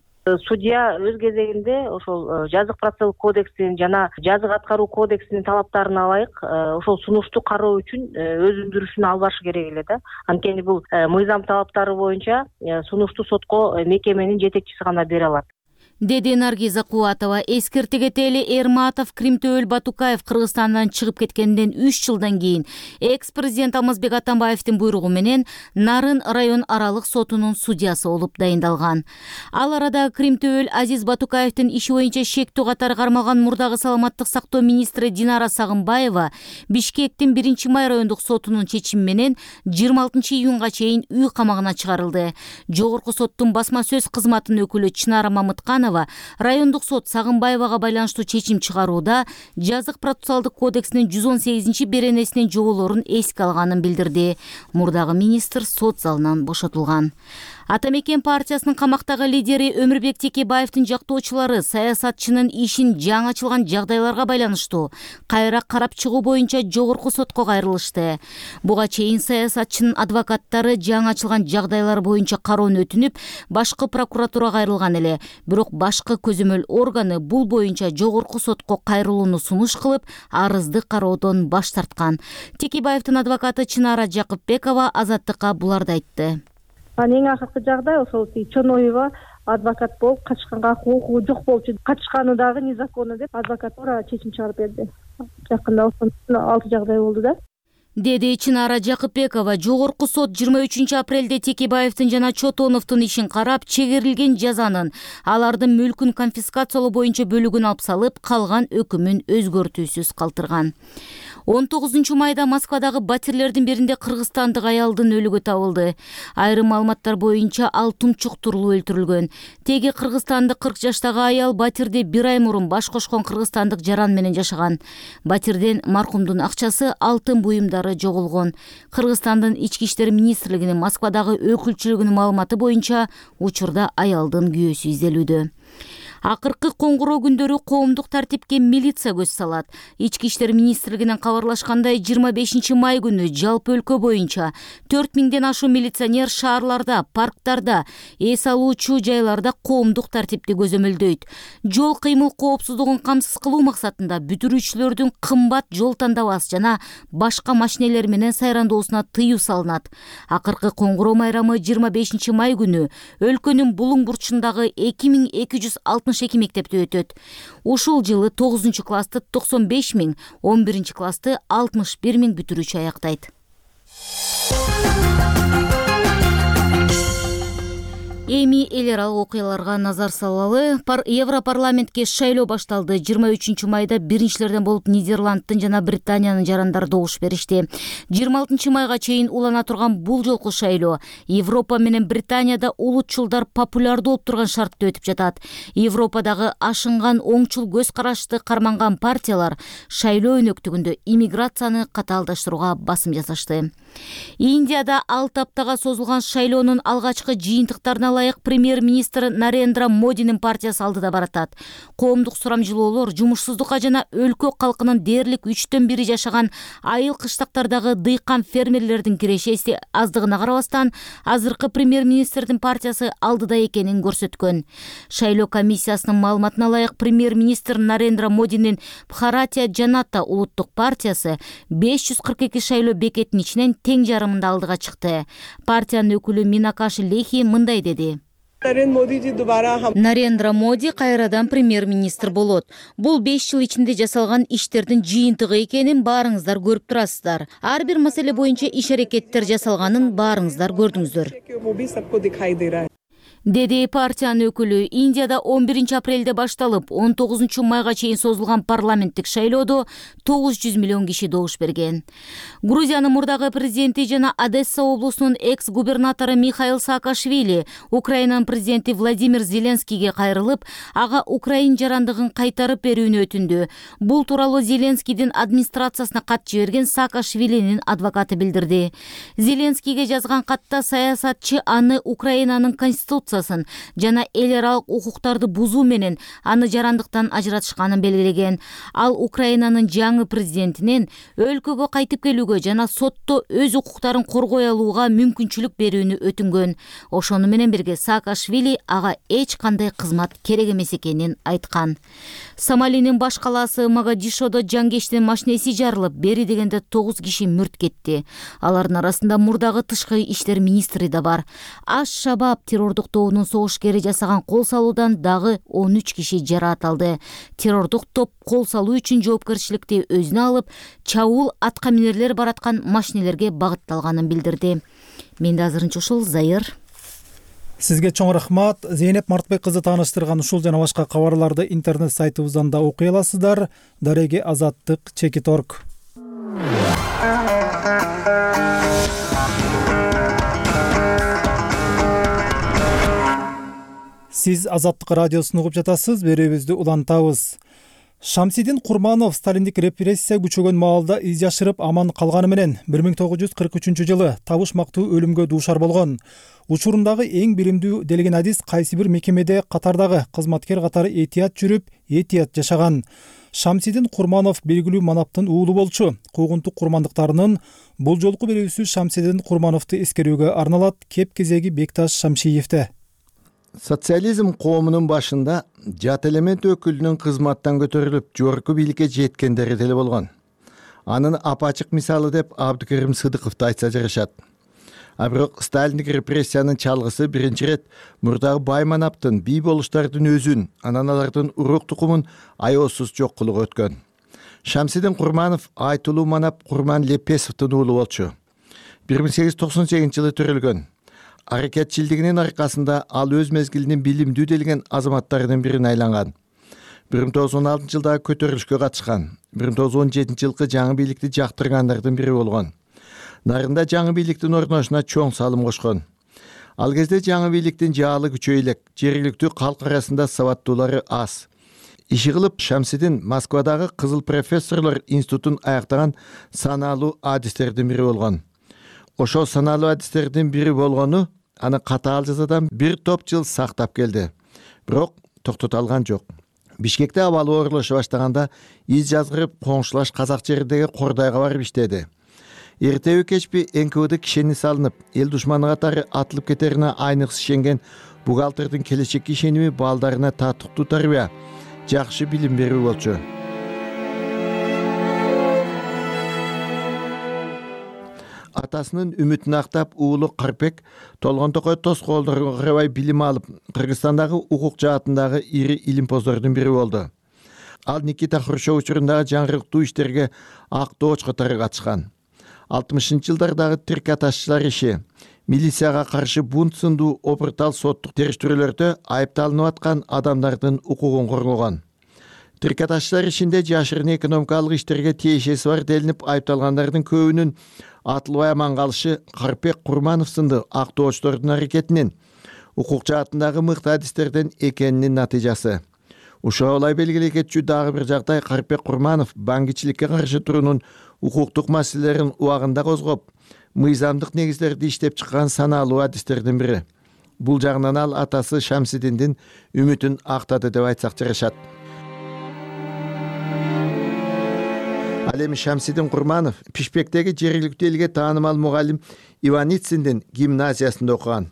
Судья өз кезегинде ошол жазык процессуалдык кодексинин жана жазык аткаруу кодексинин талаптарына ылайык ошол сунушту кароо үчүн өз өндүрүшүн алып барышы керек эле да. Анткени бул мыйзам талаптары боюнча сунушту сотко мекеменин жетекчиси гана бере алат. Деди Наргиза Кубатова. Эскерте кетели, Эрматов Крим төбөл Батукаев Кыргызстандан чыгып кеткенден 3 жылдан кийин экс-президент Алмазбек Атамбаевдин буйругу менен Нарын район аралык сотунун судьясы болуп дайындалган. Ал арада Крим төбөл Азиз Батукаевдин иши боюнча шектүү катары кармалган мурдагы саламаттык сактоо министри Динара Сагынбаева Бишкектин 1 май райондук сотунун чечими менен 26 июнга чейин үй камагына чыгарылды. Жогорку соттун басма сөз кызматынын өкүлү Чынара Мамытканова райондук сот Сагынбаевага байланыштуу чечим чыгарууда жазык процессуалдык кодексинин 118 беренесинин жоболорун эске алганын билдирди. Мурдагы министр сот залынан бошотулган. Атамекен партиясынын камактагы лидери Өмүрбек Текебаевдин жактоочулары саясатчынын ишин жаңы ачылган жагдайларга байланыштуу кайра карап чыгуу боюнча жогорку сотко кайрылышты. Буга чейин саясатчынын адвокаттары жаңы ачылган жагдайлар боюнча кароону өтүнүп, башкы прокуратурага кайрылган эле. Бирок башкы көзөмөл органы бул боюнча жогорку сотко кайрылууну сунуш кылып, арызды кароодон баш тарткан. Текебаевдин адвокаты Чынара Жакыпбекова Азаттыкка буларды айтты. Эң акыркы жагдай ошол Чоноева адвокат болуп качканга укугу жок болчу. Качканы дагы незаконно деп адвокатура чечим чыгарып берди. Жакында 6 жагдай болду да. деди Чынара Жакыпбекова. Жогорку сот 23 апрелде Текебаевдин жана Чотоновдун ишин карап, чегерилген жазанын, алардын мүлкүн конфискациялоо боюнча бөлүгүн алып салып, калган өкүмүн өзгөртүүсүз калтырган. 19 майда Москвадагы батирлердин биринде кыргызстандык аялдын өлүгү табылды. Айрым маалыматтар боюнча ал тумчуктурулуп өлтүрүлгөн. Теги кыргызстандык 40 жаштагы аял батирде 1 ай мурун баш кошкон кыргызстандык жаран менен жашаган. Батирден маркумдун акчасы, алтын буюмдары жоголгон. Кыргызстандын Ички иштер министрлигинин Москвадагы өкүлчүлүгүнүн маалыматы боюнча учурда аялдын күйөөсү изделүүдө. Акыркы коңгуроо күндөрү коомдук тартипке милиция көз салат. Ички иштер министрлигинен кабарлашкандай, 25 май күнү жалпы өлкө боюнча 4000ден ашуу милиционер шаарларда, парктарда, эс алуучу жайларда коомдук тартипти көзөмөлдөйт. Жол кыймыл коопсуздугун камсыз кылуу максатында бүтүрүүчүлөрдүн кымбат жол тандабас жана башка машинелер менен сайрандоосуна тыюу салынат. Акыркы коңгуроо майрамы 25 май күнү өлкөнүн булуң бурчундагы 2262 мектепте өтөт. Ушул жылы 9 классты 95 000, 11 классты 61 000 бүтүрүүчү аяктайт. Эми эл аралык окуяларга назар салалы. Европарламентке шайлоо башталды. 23 майда биринчилерден болуп Нидерландтын жана Британиянын жарандары добуш беришти. 26 майга чейин улана турган бул жолку шайлоо Европа менен Британияда улутчулдар популярдуу болуп турган шартта өтүп жатат. Европадагы ашынган оңчул көз карашты карманган партиялар шайлоо өнөктүгүндө иммиграцияны катаалдаштырууга басым жасашты. Индияда 6 аптага созулган шайлоонун алгачкы жыйынтыктарына ылайык премьер-министр Нарендра Модинин партиясы алдыда баратат. Коомдук сурамжылоолор жумушсуздукка жана өлкө калкынын дээрлик 3/1 жашаган айыл кыштактардагы дыйкан фермерлердин кирешеси аздыгына карабастан, азыркы премьер-министрдин партиясы алдыда экенин көрсөткөн. Шайлоо комиссиясынын маалыматына ылайык премьер-министр Нарендра Модинин Бхаратия Жаната улуттук партиясы 542 шайлоо бекетинин ичинен тең жарымында алдыга чыкты. Партиянын өкүлү Минакаши Лехи мындай деди. Нарендра Моди кайрадан премьер-министр болот. Бул 5 жыл ичинде жасалган иштердин жыйынтыгы экенин баарыңыздар көрүп турасыздар. Ар бир маселе боюнча иш-аракеттер жасалганын баарыңыздар көрдүңүздөр, деди партиянын өкүлү. Индияда 11 апрелде башталып 19 майга чейин созулган парламенттик шайлоодо 900 миллион киши добуш берген. Грузиянын мурдагы президенти жана Одесса облусунун экс-губернатору Михаил Саакашвили Украинанын президенти Владимир Зеленскийге кайрылып, ага Украин жарандыгын кайтарып берүүнү өтүндү. Бул тууралуу Зеленскийдин администрациясына кат жиберген Саакашвилинин адвокаты билдирди. Зеленскийге жазган катта саясатчы аны Украинанын конституциясын жана эл аралык укуктарды бузуу менен аны жарандыктан ажыратышканын белгилеген. Ал Украинанын жаңы президентинен өлкөгө кайтып келүүгө жана сотто өз укуктарын коргой алууга мүмкүнчүлүк берүүнү өтүнгөн. Ошону менен бирге Саакашвили ага эч кандай кызмат керек эмес экенин айткан. Сомалинин баш калаасы Могадишодо жангечтин машинеси жарылып, бери дегенде 9 киши мүрт кетти. Алардын арасында мурдагы тышкы иштер министри да бар. Аш-Шабаб террордук тобунун согушкери жасаган кол салуудан дагы 13 киши жараат алды. Террордук топ кол салуу үчүн жоопкерчиликти өзүнө алып, чабуул атка минерлер бараткан машинелерге багытталганын билдирди. Менде азырынча ушул. Зайыр. Сизге чоң рахмат. Зейнеп Мартбек кызы тааныштырган ушул жана башка кабарларды интернет сайтыбыздан да окуй аласыздар. Дареги Азаттык Чекиторг. Сиз Азаттык радиосун угуп жатасыз, берүүбүздү улантабыз. Шамсидин Курманов сталиндик репрессия күчөгөн маалда из жашырып аман калганы менен 1943 жылы табышмактуу өлүмгө дуушар болгон. Учурундагы эң биримдүү делген адис кайсы бир мекемеде катардагы кызматкер катары этият жүрүп, этият жашаган. Шамсидин Курманов белгилүү манаптын уулу болчу. Куугунтук курмандыктарынын бул жолку берүүсү Шамсидин Курмановду эскерүүгө арналат. Кеп кезеги Бекташ Шамшиевде. Социализм коомунун башында жат элемент өкүлүнүн кызматтан көтөрүлүп, жогорку бийликке жеткендери деле болгон. Анын апачык мисалы деп Абдыкерим Сыдыковду айтса жарашат. А бирок сталиндик репрессиянын чалгысы биринчи ирет мурдагы бай манаптын, бий болуштардын өзүн, анан алардын урук тукумун аеосуз жок кылууга өткөн. Шамсидин Курманов Айтулуу Манап Курман Лепесовдун уулу болчу. 1898 жылы төрөлгөн. Аракетчилдигинин аркасында ал өз мезгилинин билимдүү делген азаматтарынын бирине айланган. 1916 жылдагы көтөрүлүшкө катышкан. 1917 жылкы жаңы бийликти жактыргандардын бири болгон. Нарында жаңы бийликтин орношуна чоң салым кошкон. Ал кезде жаңы бийликтин жаалы күчөй элек, жергиликтүү калк арасында сабаттуулары аз. Иши кылып Шамсидин Москвадагы Кызыл профессорлор институтун аяктаган саналуу адистердин бири болгон. Ошол саналуу адистердин бири болгону аны катаал жазадан бир топ жыл сактап келди. Бирок токтото алган жок. Бишкекте абалы оорлоша баштаганда из жазгырып коңшулаш казак жериндеги Кордайга барып иштеди. Эртеби кечпи НКВД кишени салынып, эл душманы катары атылып кетерине айныксы ишенген бухгалтердин келечекке ишеними балдарына татыктуу тарбия, жакшы билим берүү болчу. Атасынын үмүтүн актап уулу Карпек Толгон Токой тоскоолдорго карабай билим алып, Кыргызстандагы укук жаатындагы ири илимпоздордун бири болду. Ал Никита Хрущев учурундагы жаңгырыктуу иштерге ак дооч катары катышкан. 60-жылдардагы трикаташчылар иши, милицияга каршы бунт сындуу опуртал соттук териштирүүлөрдө айыпталынып аткан адамдардын укугун коргогон. Трикаташчылар ишинде жашырын экономикалык иштерге тиешеси бар делинип айыпталгандардын көбүнүн атылбай аман калышы Карпек Курманов сынды ак доочтордун аракетинин укук жаатындагы мыкты адистерден экенинин натыйжасы. Ушуга ылай белгилей кетчү дагы бир жагдай Карпек Курманов баңгичиликке каршы туруунун укуктук маселелерин убагында козгоп, мыйзамдык негиздерди иштеп чыккан саналуу адистердин бири. Бул жагынан ал атасы Шамсидиндин үмүтүн актады деп айтсак жарашат. Ал эми Шамсидин Курманов Пишпектеги жергиликтүү элге таанымал мугалим Иванициндин гимназиясында окуган.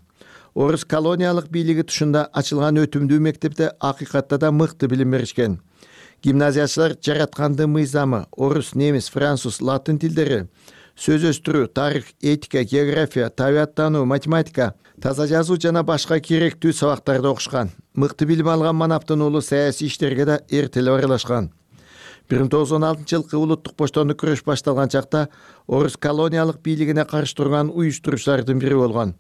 Орус колониялык бийлиги тушунда ачылган өтүмдүү мектепте акыйкатта да мыкты билим беришкен. Гимназиячылар жаратканды мыйзамы, орус, немис, француз, латын тилдери, сөз өстүрүү, тарых, этика, география, табияттануу, математика, таза жазуу жана башка керектүү сабактарды окушкан. Мыкты билим алган Манаптын уулу саясий иштерге да эртелеп аралашкан. 1916 жылкы улуттук боштондук күрөш башталган чакта орус колониялык бийлигине каршы турган уюштуруучулардын бири болгон.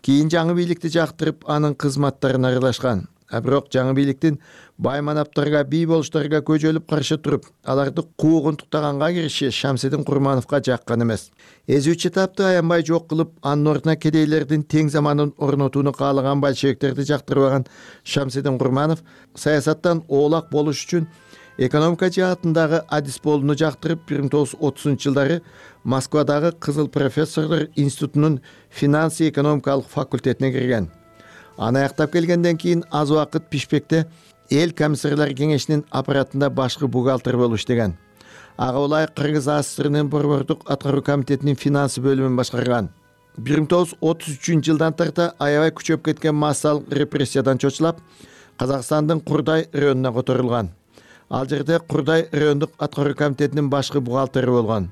Кийин жаңы бийликти жактырып, анын кызматтарына аралашкан. Бирок жаңы бийликтин бай манаптарга, бий болуштарга көжөлүп каршы туруп, аларды куугунтуктаганга кириши Шамсидин Курмановго жаккан эмес. Эзүүчү тапты аянбай жок кылып, анын ордуна кедейлердин тең заманын орнотууну каалаган большевиктерди жактырбаган Шамсидин Курманов саясаттан оолак болуш үчүн экономика жаатындагы адис болууну жактырып, 1930-жылдары Москвадагы Кызыл профессорлор институтунун финансы экономикалык факультетине кирген. Аны аяктап келгенден кийин аз убакыт Пишпекте эл комиссарлар кеңешинин аппаратында башкы бухгалтер болуп иштеген. Ага улай Кыргыз АССРнын борбордук аткаруу комитетинин финансы бөлүмүн башкарган. 1933-жылдан тарта аябай күчөп кеткен массалык репрессиядан чочулап, Казакстандын Курдай районуна которулган. Ал жерде Курдай райондук аткаруу комитетинин башкы бухгалтери болгон.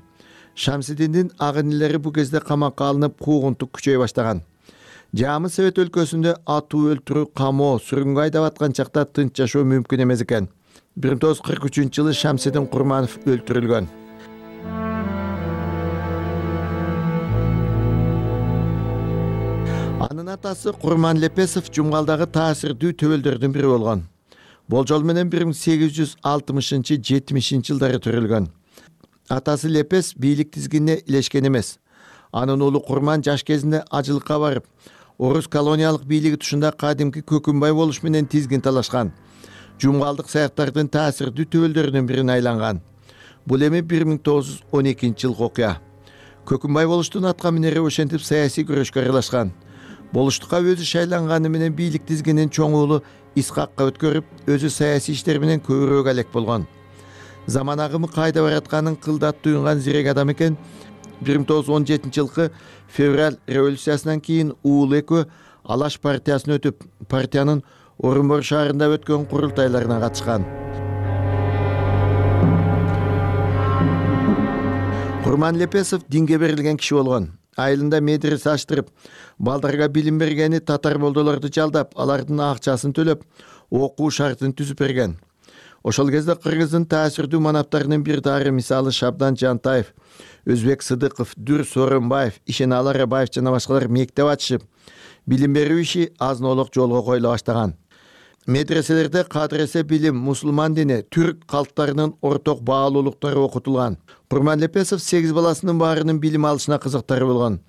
Шамсидиндин агынилери бул кезде камакка алынып, куугунтук күчөй баштаган. Жамы Совет өлкөсүндө атуу, өлтүрүү, камоо, сүргүнгө айдап аткан чакта тынч жашоо мүмкүн эмес экен. 1943-жылы Шамсидин Курманов өлтүрүлгөн. Анын атасы Курман Лепесов Жумгалдагы таасирдүү төбөлдөрдүн бири болгон. Болжол менен 1860-70 жылдары төрөлгөн. Атасы Лепес бийлик тизгинине илешкен эмес. Анын уулу Курман жаш кезинде ажылыкка барып, орус колониялык бийлиги тушунда кадимки Көкүнбай болуш менен тизгин талашкан. Жумгалдык саяктардын таасирдүү төбөлдөрүнүн бирине айланган. Бул эми 1912-жылкы окуя. Көкүнбай болуштун атка минери ошентип саясий күрөшкө аралашкан. Болуштукка өзү шайланганы менен бийлик тизгинин чоң уулу Исхакка өткөрүп, өзү саясий иштер менен көбүрөөк алек болгон. Заман агымы кайда баратканын кылдат туюнган зирек адам экен. 1917-жылкы февраль революциясынан кийин уулу экөө Алаш партиясына өтүп, партиянын Орунбор шаарында өткөн курултайларына катышкан. Курман Лепесов динге берилген киши болгон. Айылында медресе аштырып, балдарга билим бергени татар болдолорду жалдап, алардын акчасын төлөп, окуу шартын түзүп берген. Ошол кезде кыргыздын таасирдүү манаптарынын бир дары мисалы Шабдан Жантаев, Өзбек Сыдыков, Дүр Сооронбаев, Ишеналы Арабаев жана башкалар мектеп ачышып, билим берүү иши азын-олок жолго коюла баштаган. Медреселерде кадыресе билим, мусулман дини, түрк калктарынын орток баалуулуктары окутулган. Курман Лепесов 8 баласынын баарынын билим алышына кызыктары болгон.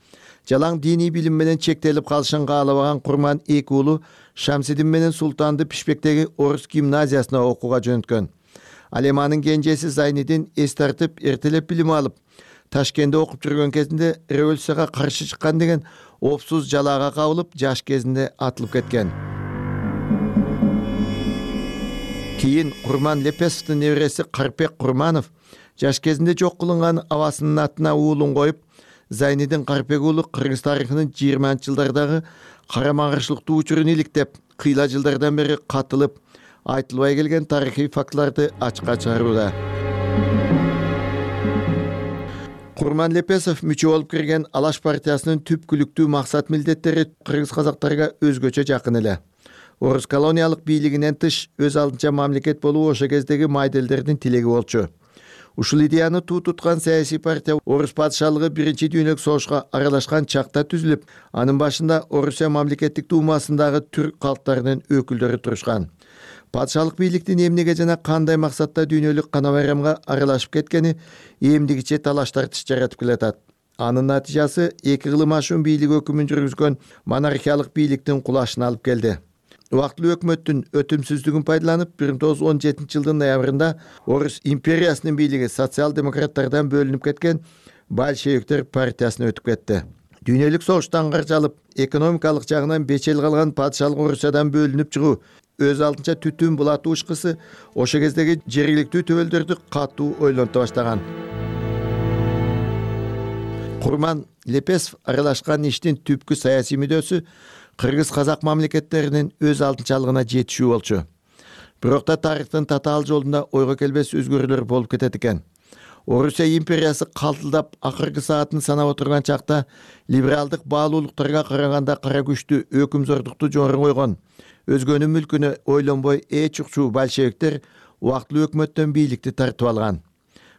Жалаң диний билим менен чектелип калышын каалабаган Курман 2 уулу Шамсидин менен Султанды Пишпектеги орус гимназиясына окууга жөнөткөн. Ал эми анын кенжеси Зайнидин эс тартып, эртелеп билим алып, Ташкентте окуп жүргөн кезинде революцияга каршы чыккан деген опсуз жалаага кабылып, жаш кезинде атылып кеткен. Кийин Курман Лепесовдун небереси Карпек Курманов жаш кезинде жок кылынган абасынын атына уулун коюп, Зайнидин Карпек уулу Кыргыз тарыхынын 20-жылдардагы карама-каршылыктуу учурун иликтеп, кыйла жылдардан бери катылып, айтылбай келген тарыхый фактыларды ачыкка чыгарууда. Курман Лепесов мүчө болуп кирген Алаш партиясынын түпкүлүктүү максат милдеттери кыргыз казактарга өзгөчө жакын эле. Орус колониялык бийлигинен тыш өз алдынча мамлекет болуу ошо кездеги майделдердин тилеги болчу. Ушул идеяны туу туткан саясий партия Орус падышалыгы Биринчи дүйнөлүк согушка аралашкан чакта түзүлүп, анын башында Орусия мамлекеттик думасындагы түрк калктарынын өкүлдөрү турушкан. Падышалык бийликтин эмнеге жана кандай максатта дүйнөлүк кана байрамга аралашып кеткени эмдигиче талаш тартыш жаратып келатат. Анын натыйжасы эки кылым ашуун бийлик өкүмүн жүргүзгөн монархиялык бийликтин кулашына алып келди. Убактылуу өкмөттүн өтүмсүздүгүн пайдаланып, 1917-жылдын ноябрында Орус империясынын бийлиги социал-демократтардан бөлүнүп кеткен большевиктер партиясына өтүп кетти. Дүйнөлүк согуштан каржалып, экономикалык жагынан бечел калган падышалык Орусиядан бөлүнүп чыгуу өз алдынча түтүн булатуу ышкысы ошо кездеги жергиликтүү төбөлдөрдү катуу ойлонто баштаган. Курман Лепесов аралашкан иштин түпкү саясий мүддөсү кыргыз казак мамлекеттеринин өз алдынчалыгына жетишүү болчу. Бирок да тарыхтын татаал жолунда ойго келбес өзгөрүүлөр болуп кетет экен. Орусия империясы калтылдап акыркы саатын санап отурган чакта либералдык баалуулуктарга караганда кара күчтүү өкүмзордукту жогору койгон, өзгөнүн мүлкүнө ойлонбой эч укчуу большевиктер убактылуу өкмөттөн бийликти тартып алган.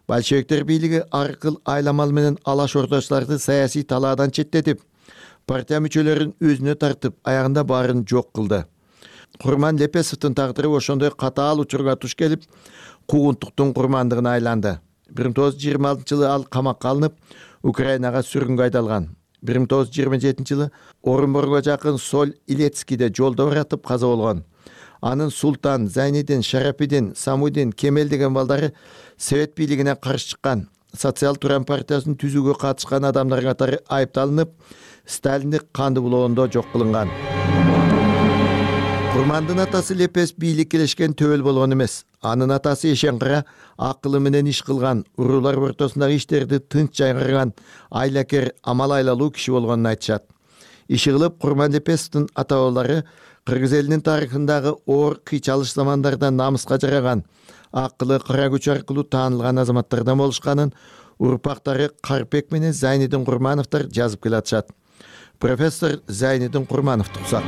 Большевиктер бийлиги ар кыл айламал менен алаш орточуларды саясий талаадан четтетип, партия мүчөлөрүн өзүнө тартып, аягында баарын жок кылды. Курман Лепесовдун тагдыры ошондой катаал учурга туш келип, куугунтуктун курмандыгына айланды. 1926-жылы ал камакка алынып, Украинага сүргүнгө айдалган. 1927-жылы Орунборго жакын Соль Илецкийде жолдо баратып каза болгон. Анын Султан, Зайнидин, Шарапидин, Самудин, Кемел деген балдары Совет бийлигине каршы чыккан, социал туран партиясын түзүүгө катышкан адамдар катары айыпталынып, Сталиндик канды булоондо жок кылынган. Курмандын атасы Лепес бийлик келешкен төбөл болгон эмес. Анын атасы Эшенкара акылы менен иш кылган, уруулар ортосундагы иштерди тынч жайгарган, айлакер, амал айлалуу киши болгонун айтышат. Иши кылып Курман Лепесовдун ата-бабалары кыргыз элинин тарыхындагы оор кыйчалыш замандарда намыска жараган, акылы кара күч аркылуу таанылган азаматтардан болушканын урпактары Карпек менен Зайнидин Курмановдор жазып келатышат. Профессор Зайнидин Курмановду уксак.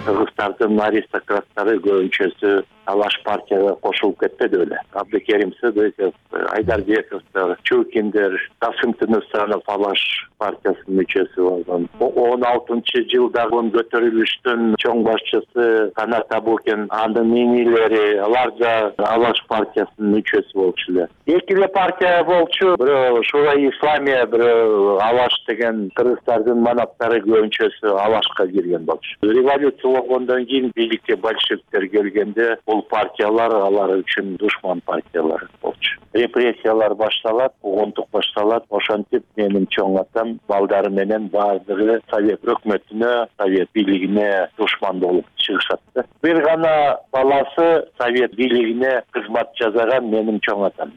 Кыргыздардын аристократтары көбүнчөсү Алаш партияга кошулуп кетпеди беле. Абдыкерим Сыдыков, Айдарбековдор, Чукиндер, Касым Тынысанов Алаш партиясынын мүчөсү болгон. 16-жылдагы көтөрүлүштүн чоң башчысы Канат Абукин, анын инилери, алар да Алаш партиясынын мүчөсү болчу эле. Эки эле партия болчу, бирөө Шура Исламия, бирөө Алаш деген кыргыздардын манаптары көбүнчөсү Алашка кирген болчу. Революция болгондон кийин бийликке большевиктер келгенде бул партиялар алар үчүн душман партиялар болчу. Репрессиялар башталат, куугунтук башталат. Ошентип менин чоң атам балдары менен баардыгы Совет өкмөтүнө, Совет бийлигине душман болуп чыгышат. Бир гана баласы Совет бийлигине кызмат жасаган менин чоң атам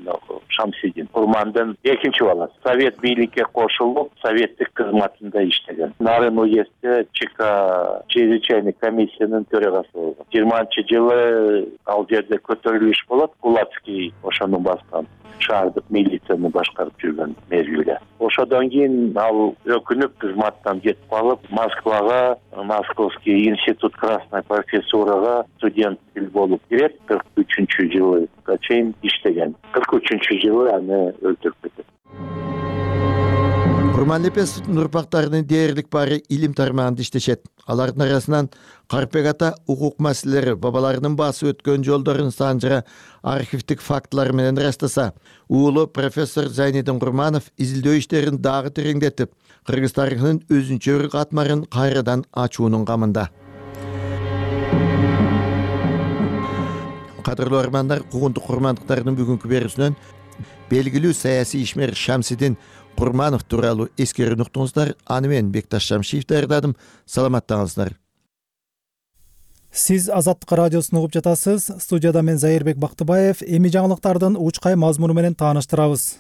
Шамсидин. Курмандын экинчи баласы. Совет бийликке кошулуп, советтик кызматында иштеген. Нарын уездде ЧК чрезвычайный комиссиянын төрагасы болгон. 20-жылы ал жерде көтөрүлүш болот. Кулацкий ошону баскан, шаардык милицияны башкарып жүргөн мезгилде. Ошодон кийин ал өкүнүп кызматтан кетип калып, Москвага, Московский институт красной профессурага студент болуп кирет. 43-жылга чейин иштеген. 43-жылы аны өлтүрүп кетет. Курманлепесовдун урпактарынын дээрлик баары илим тармагында иштешет. Алардын арасынан Карпек ата укук маселелери, бабаларынын басып өткөн жолдорун санжыра архивдик фактылар менен ырастаса, уулу профессор Зайнидин Курманов изилдөө иштерин дагы тереңдетип, кыргыз тарыхынын өзүнчө бир катмарын кайрадан ачуунун камында. Кадырлуу армандар, куугунтук курмандыктардын бүгүнкү берүүсүнөн белгилүү саясий ишмер Шамсидин Курманов тууралуу эскерүүнү уктуңуздар. Аны мен Бекташ Шамшиев даярдадым. Саламаттаңыздар. Сиз Азаттык радиосун угуп жатасыз. Студияда мен Зайырбек Бактыбаев. Эми жаңылыктардын учкай мазмуну менен тааныштырабыз.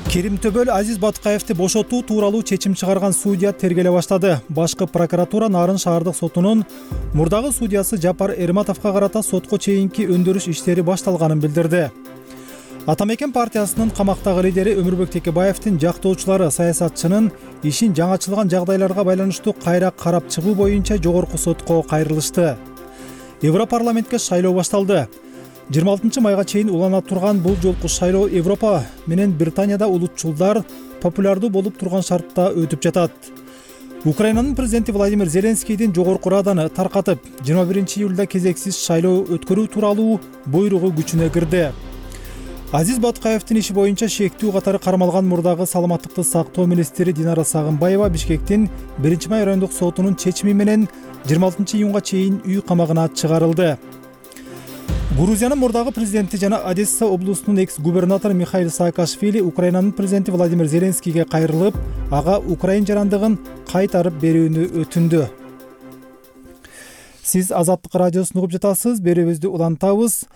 Керимтөбөл Азиз Батукаевди бошотуу тууралуу чечим чыгарган судья тергеле баштады. Башкы прокуратура Нарын шаардык сотунун мурдагы судьясы Жапар Эрматовго карата сотко чейинки өндүрүш иштери башталганын билдирди. Атамекен партиясынын камактагы лидери Өмүрбек Текебаевдин жактоочулары саясатчынын ишин жаңачылган жагдайларга байланыштуу кайра карап чыгуу боюнча жогорку сотко кайрылышты. Европарламентке шайлоо башталды. 26 майга чейин улана турган бул жолку шайлоо Европа менен Британияда улутчулдар популярдуу болуп турган шартта өтүп жатат. Украинанын президенти Владимир Зеленскийдин жогорку раданы таркатып, 21-июлда кезексиз шайлоо өткөрүү тууралуу буйругу күчүнө кирди. Азиз Батукаевдин иши боюнча шектүү катары кармалган мурдагы саламаттыкты сактоо министри Динара Сагынбаева Бишкектин 1-май райондук сотунун чечими менен 26-июнга чейин үй камагына чыгарылды. Грузиянын мурдагы президенти жана Одесса облусунун экс-губернатору Михаил Саакашвили Украинанын президенти Владимир Зеленскийге кайрылып, ага Украин жарандыгын кайтарып берүүнү өтүндү. Сиз Азаттык радиосун угуп жатасыз. Берүүбүздү улантабыз.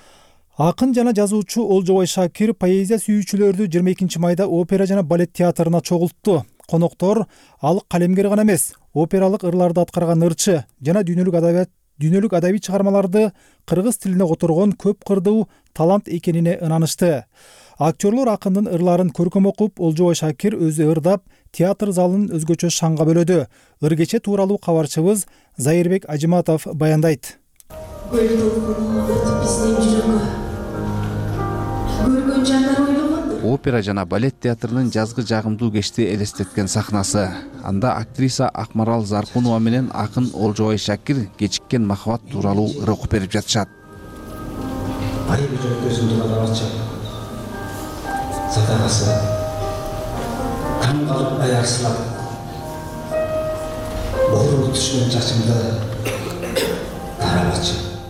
Акын жана жазуучу Олжобой Шакир поэзия сүйүүчүлөрдү 22 майда опера жана балет театрына чогултту. Коноктор ал калемгер гана эмес, опералык ырларды аткарган ырчы жана дүйнөлүк адабий чыгармаларды кыргыз тилине которгон көп кырдуу талант экенине ынанышты. Актерлор акындын ырларын көркөм окуп, Олжобой Шакир өзү ырдап, театр залын өзгөчө шаңга бөлөдү. Ыргече тууралуу кабарчыбыз Зайырбек Ажиматов баяндайт. Опера жана балет театрынын жазгы жагымдуу кечти элестеткен сахнасы. Анда актриса Акмарал Заркунова менен акын Олжобой Шакир кечиккен махабат тууралуу ыр окуп берип жатышат.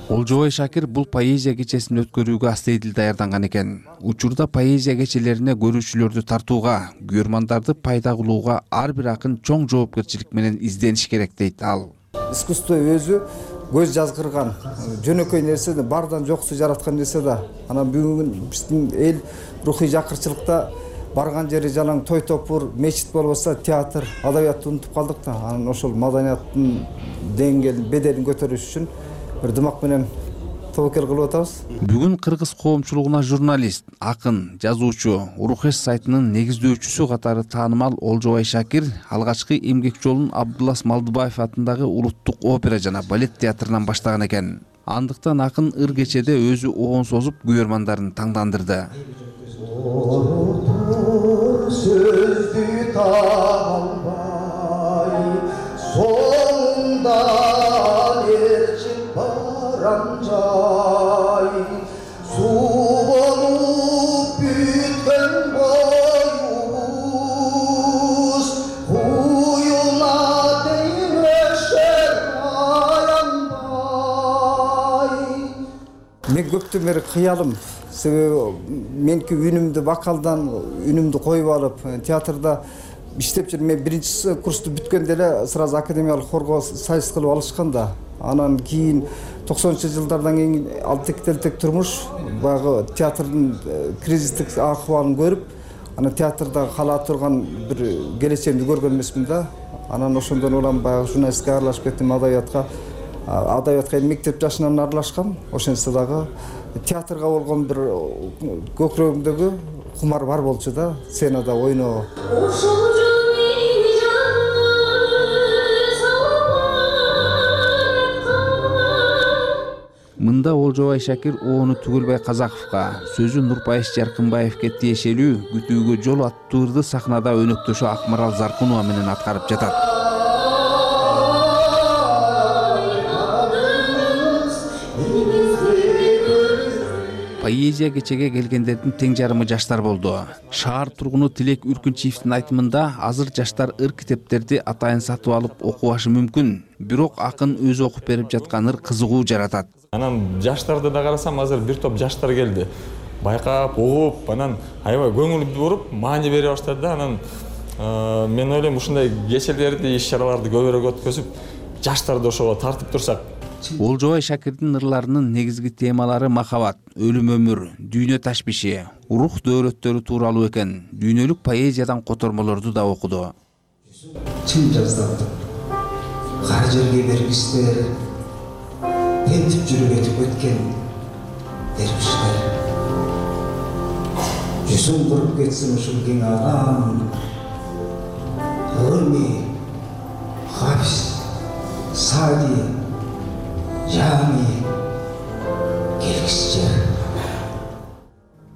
Олжобой Шакир бул поэзия кечесин өткөрүүгө астейдил даярданган экен. Учурда поэзия кечелерине көрүүчүлөрдү тартууга, күйөрмандарды пайда кылууга ар бир акын чоң жоопкерчилик менен издениш керек дейт ал. Искусство өзү көз жазгырган, жөнөкөй нерсе да, бардан жоксу жараткан нерсе да. Анан бүгүн биздин эл рухий жакырчылыкта барган жери жалаң той топур, мечит болбосо театр, адабиятты унутуп калдык да. Анан ошол маданияттын деңгээлин, беделин көтөрүш үчүн бир дымак менен тобокел кылып атабыз. Бүгүн кыргыз коомчулугуна журналист, акын, жазуучу, Урухеш сайтынын негиздөөчүсү катары таанымал Олжобой Шакир алгачкы эмгек жолун Абдулас Малдыбаев атындагы улуттук опера жана балет театрынан баштаган экен. Андыктан акын ыр кечеде өзү оон созуп күйөрмандарын таңдандырды. Мен көптөн бери кыялым, себеби меники үнүмдү вокалдан үнүмдү коюп алып, театрда иштеп жүрүп, мен 1-курсту бүткөндө эле сразу академиялык хорго сайыс кылып алышкан да. Анан кийин 90-жылдардан кийин ал тектелтек турмуш, баягы театрдын кризистик акыбалын көрүп, Анан театрда кала турган бир келечегимди көргөн эмесмин да. Анан ошондон улам баягы журналистикага аралашып кеттим, адабиятка. Адабиятка мектеп жашынан аралашкам. Ошентсе дагы театрга болгон бир көкүрөгүмдөгү кумар бар болчу да, сценада ойноо. Мында Олжобай Шакир оону Түгөлбай Казаковго, сөзү Нурпайыш Жаркынбаевке тиешелүү күтүүгө жол аттуу ырды сахнада өнөктөшү Акмарал Заркунова менен аткарып жатат. Поэзия кечеге келгендердин тең жарымы жаштар болду. Шаар тургуну Тилек Үркүнчиевдин айтымында азыр жаштар ыр китептерди атайын сатып алып окубашы мүмкүн, бирок акын өзү окуп берип жаткан ыр кызыгуу жаратат. Анан жаштарды да карасам, азыр бир топ жаштар келди. Байкап, угуп, анан аябай көңүл буруп, маани бере баштады да. Анан мен ойлойм, ушундай кечелерди, иш-чараларды көбүрөөк өткөзүп, жаштарды ошого тартып турсак. Олжобай Шакирдин ырларынын негизги темалары махабат, өлүм өмүр, дүйнө ташбиши, рух дөөрөттөрү тууралуу экен. Дүйнөлүк поэзиядан котормолорду да окуду. Чын жаздандык, кар жерге бергистер, тентип жүрүп өтүп өткен дервиштер. Жүзүң куруп кетсин ушул кең алам, Руми, Хафиз, Сади, Жами, келгисчи.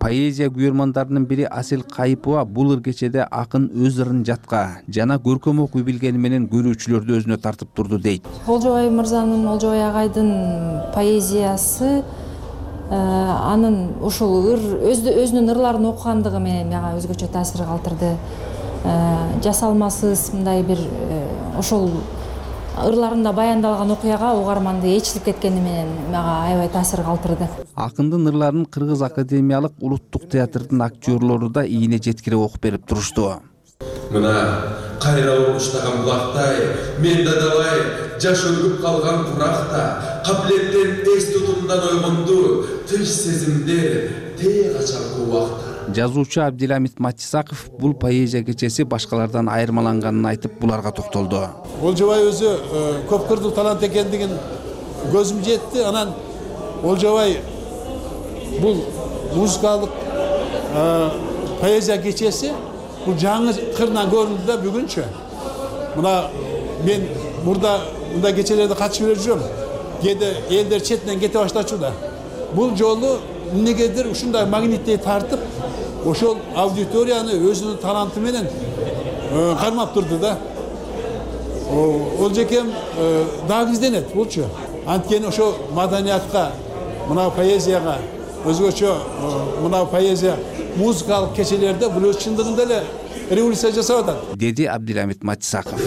Поэзия күйөрмандарынын бири Асел Кайыпова бул ыр кечеде акын өз ырын жатка жана көркөм окуй билгени менен көрүүчүлөрдү өзүнө тартып турду дейт. Олжобай мырзанын, Олжобай агайдын поэзиясы анын ушул өзүнүн ырларын окугандыгы менен мага өзгөчө таасир калтырды. Жасалмасыз мындай бир ошол ырларында баяндалган окуяга угарманды ээрчитип кеткени менен мага аябай таасир калтырды. Акындын ырларын Кыргыз академиялык улуттук театрдын актерлору да ийине жеткирип окуп берип турушту. Мына кайра угуштаган булактай, мен дадабай жаш өлгүп калган куракта, кабилеттен эс тутумдан ойгонду, тынч сезимдер тээ качалкы убакта. Жазуучу Абдиламит Матисаков бул поэзия кечеси башкалардан айырмаланганын айтып буларга токтолду. Олжобай өзү көп кырдуу талант экендигин көзүм жетти. Анан Олжобай бул музыкалык поэзия кечеси бул жаңы кырынан көрүндү да бүгүнчө. Мына мен мындай кечелерде катышып эле жүрөм. Кээде элдер четинен кете баштачу да. Бул жолу эмнегедир ушундай магниттей тартып, ошол аудиторияны өзүнүн таланты менен кармап турду да. Олжекем дагы изденет булчу. Анткени ошо маданиятка, мына поэзияга, өзгөчө мына поэзия музыкалык кечелерде бул өз чындыгында эле революция жасап атат, деди Абдиламит Матисаков.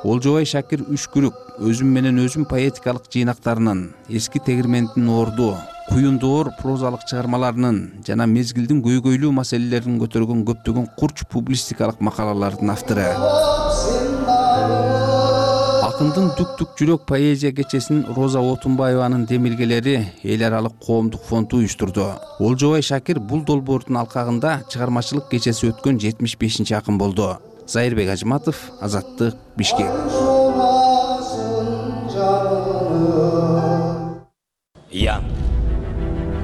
Олжобай Шакир Үшкүрүк өзүм менен өзүм поэтикалык жыйнактарынын, эски тегирмендин орду, куюндоор прозалык чыгармаларынын жана мезгилдин көйгөйлүү маселелерин көтөргөн көптөгөн курч публистикалык макалалардын автору. Акындын Түк-түк жүрөк поэзия кечесин Роза Отунбаеванын демилгелери эл аралык коомдук фонду уюштурду. Олжобай Шакир бул долбоордун алкагында чыгармачылык кечеси өткөн 75-чи акын болду. Зайырбек Ажматов, Азаттык, Бишкек. Я,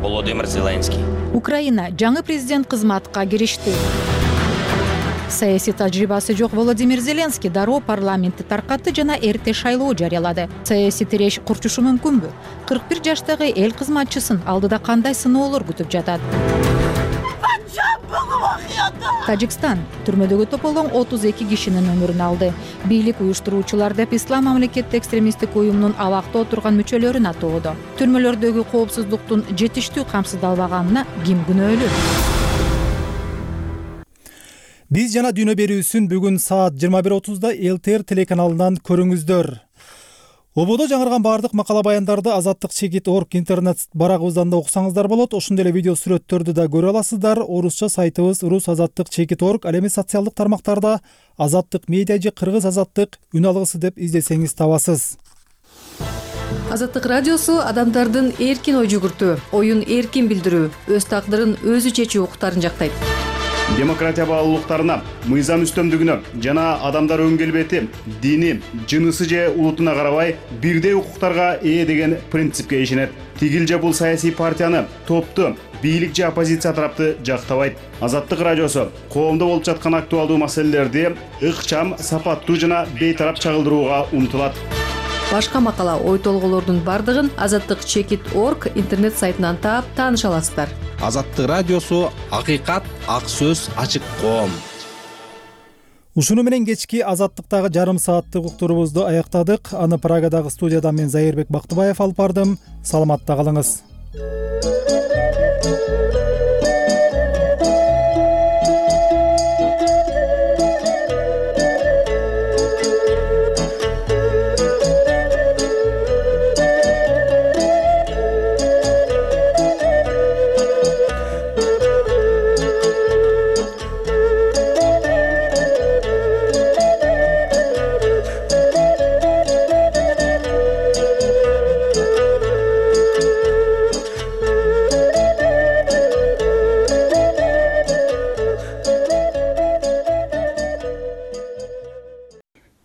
Володимир Зеленский. Украина жаңы президент кызматка киришти. Саясий тажрыйбасы жок Володимир Зеленский дароо парламентти таркатты жана эрте шайлоо жарыялады. Саясий тиреш курчушу мүмкүнбү? 41 жаштагы эл кызматчысын алдыда кандай сыноолор күтүп жатат? Тажикстан түрмөдөгү тополоң 32 кишинин өмүрүн алды. Бийлик уюштуруучулар деп Ислам мамлекеттик экстремисттик уюмунун абакта отурган мүчөлөрүн атоодо. Түрмөлөрдөгү коопсуздуктун жетиштүү камсыздалбаганына ким күнөөлүү? Биз жана дүйнө берүүсүн бүгүн саат 21:30 ЛТР телеканалынан көрүңүздөр. Ободо жаңырган бардык макала баяндарды Азаттык.org интернет барагыбыздан да окусаңыздар болот. Ошондой эле видео сүрөттөрдү да көрө аласыздар. Орусча сайтыбыз rusazattyk.org, ал эми социалдык тармактарда Азаттык медиа же Кыргыз Азаттык үн алгысы деп издесеңиз табасыз. Азаттык радиосу адамдардын эркин ой жүгүртүү, оюн эркин билдирүү, өз тагдырын өзү чечүү укуктарын жактайт. Демократия баалуулуктарына, мыйзам үстөмдүгүнө жана адамдар өң келбети, дини, жынысы же улутуна карабай бирдей укуктарга ээ деген принципке ишенет. Тигил же бул саясий партияны, топту, бийлик же оппозиция тарапты жактабайт. Азаттык радиосу коомдо болуп жаткан актуалдуу маселелерди ыкчам, сапаттуу жана бейтарап чагылдырууга умтулат. Башка макала, ой толголордун бардыгын azattik.org интернет сайтынан таап тааныша аласыздар. Азаттык радиосу акыйкат, ак сөз, ачык коом. Ушуну менен кечки Азаттыктагы жарым сааттык уктурубузду аяктадык. Аны Прагадагы студиядан мен Зайырбек Бактыбаев алып бардым. Саламатта калыңыз.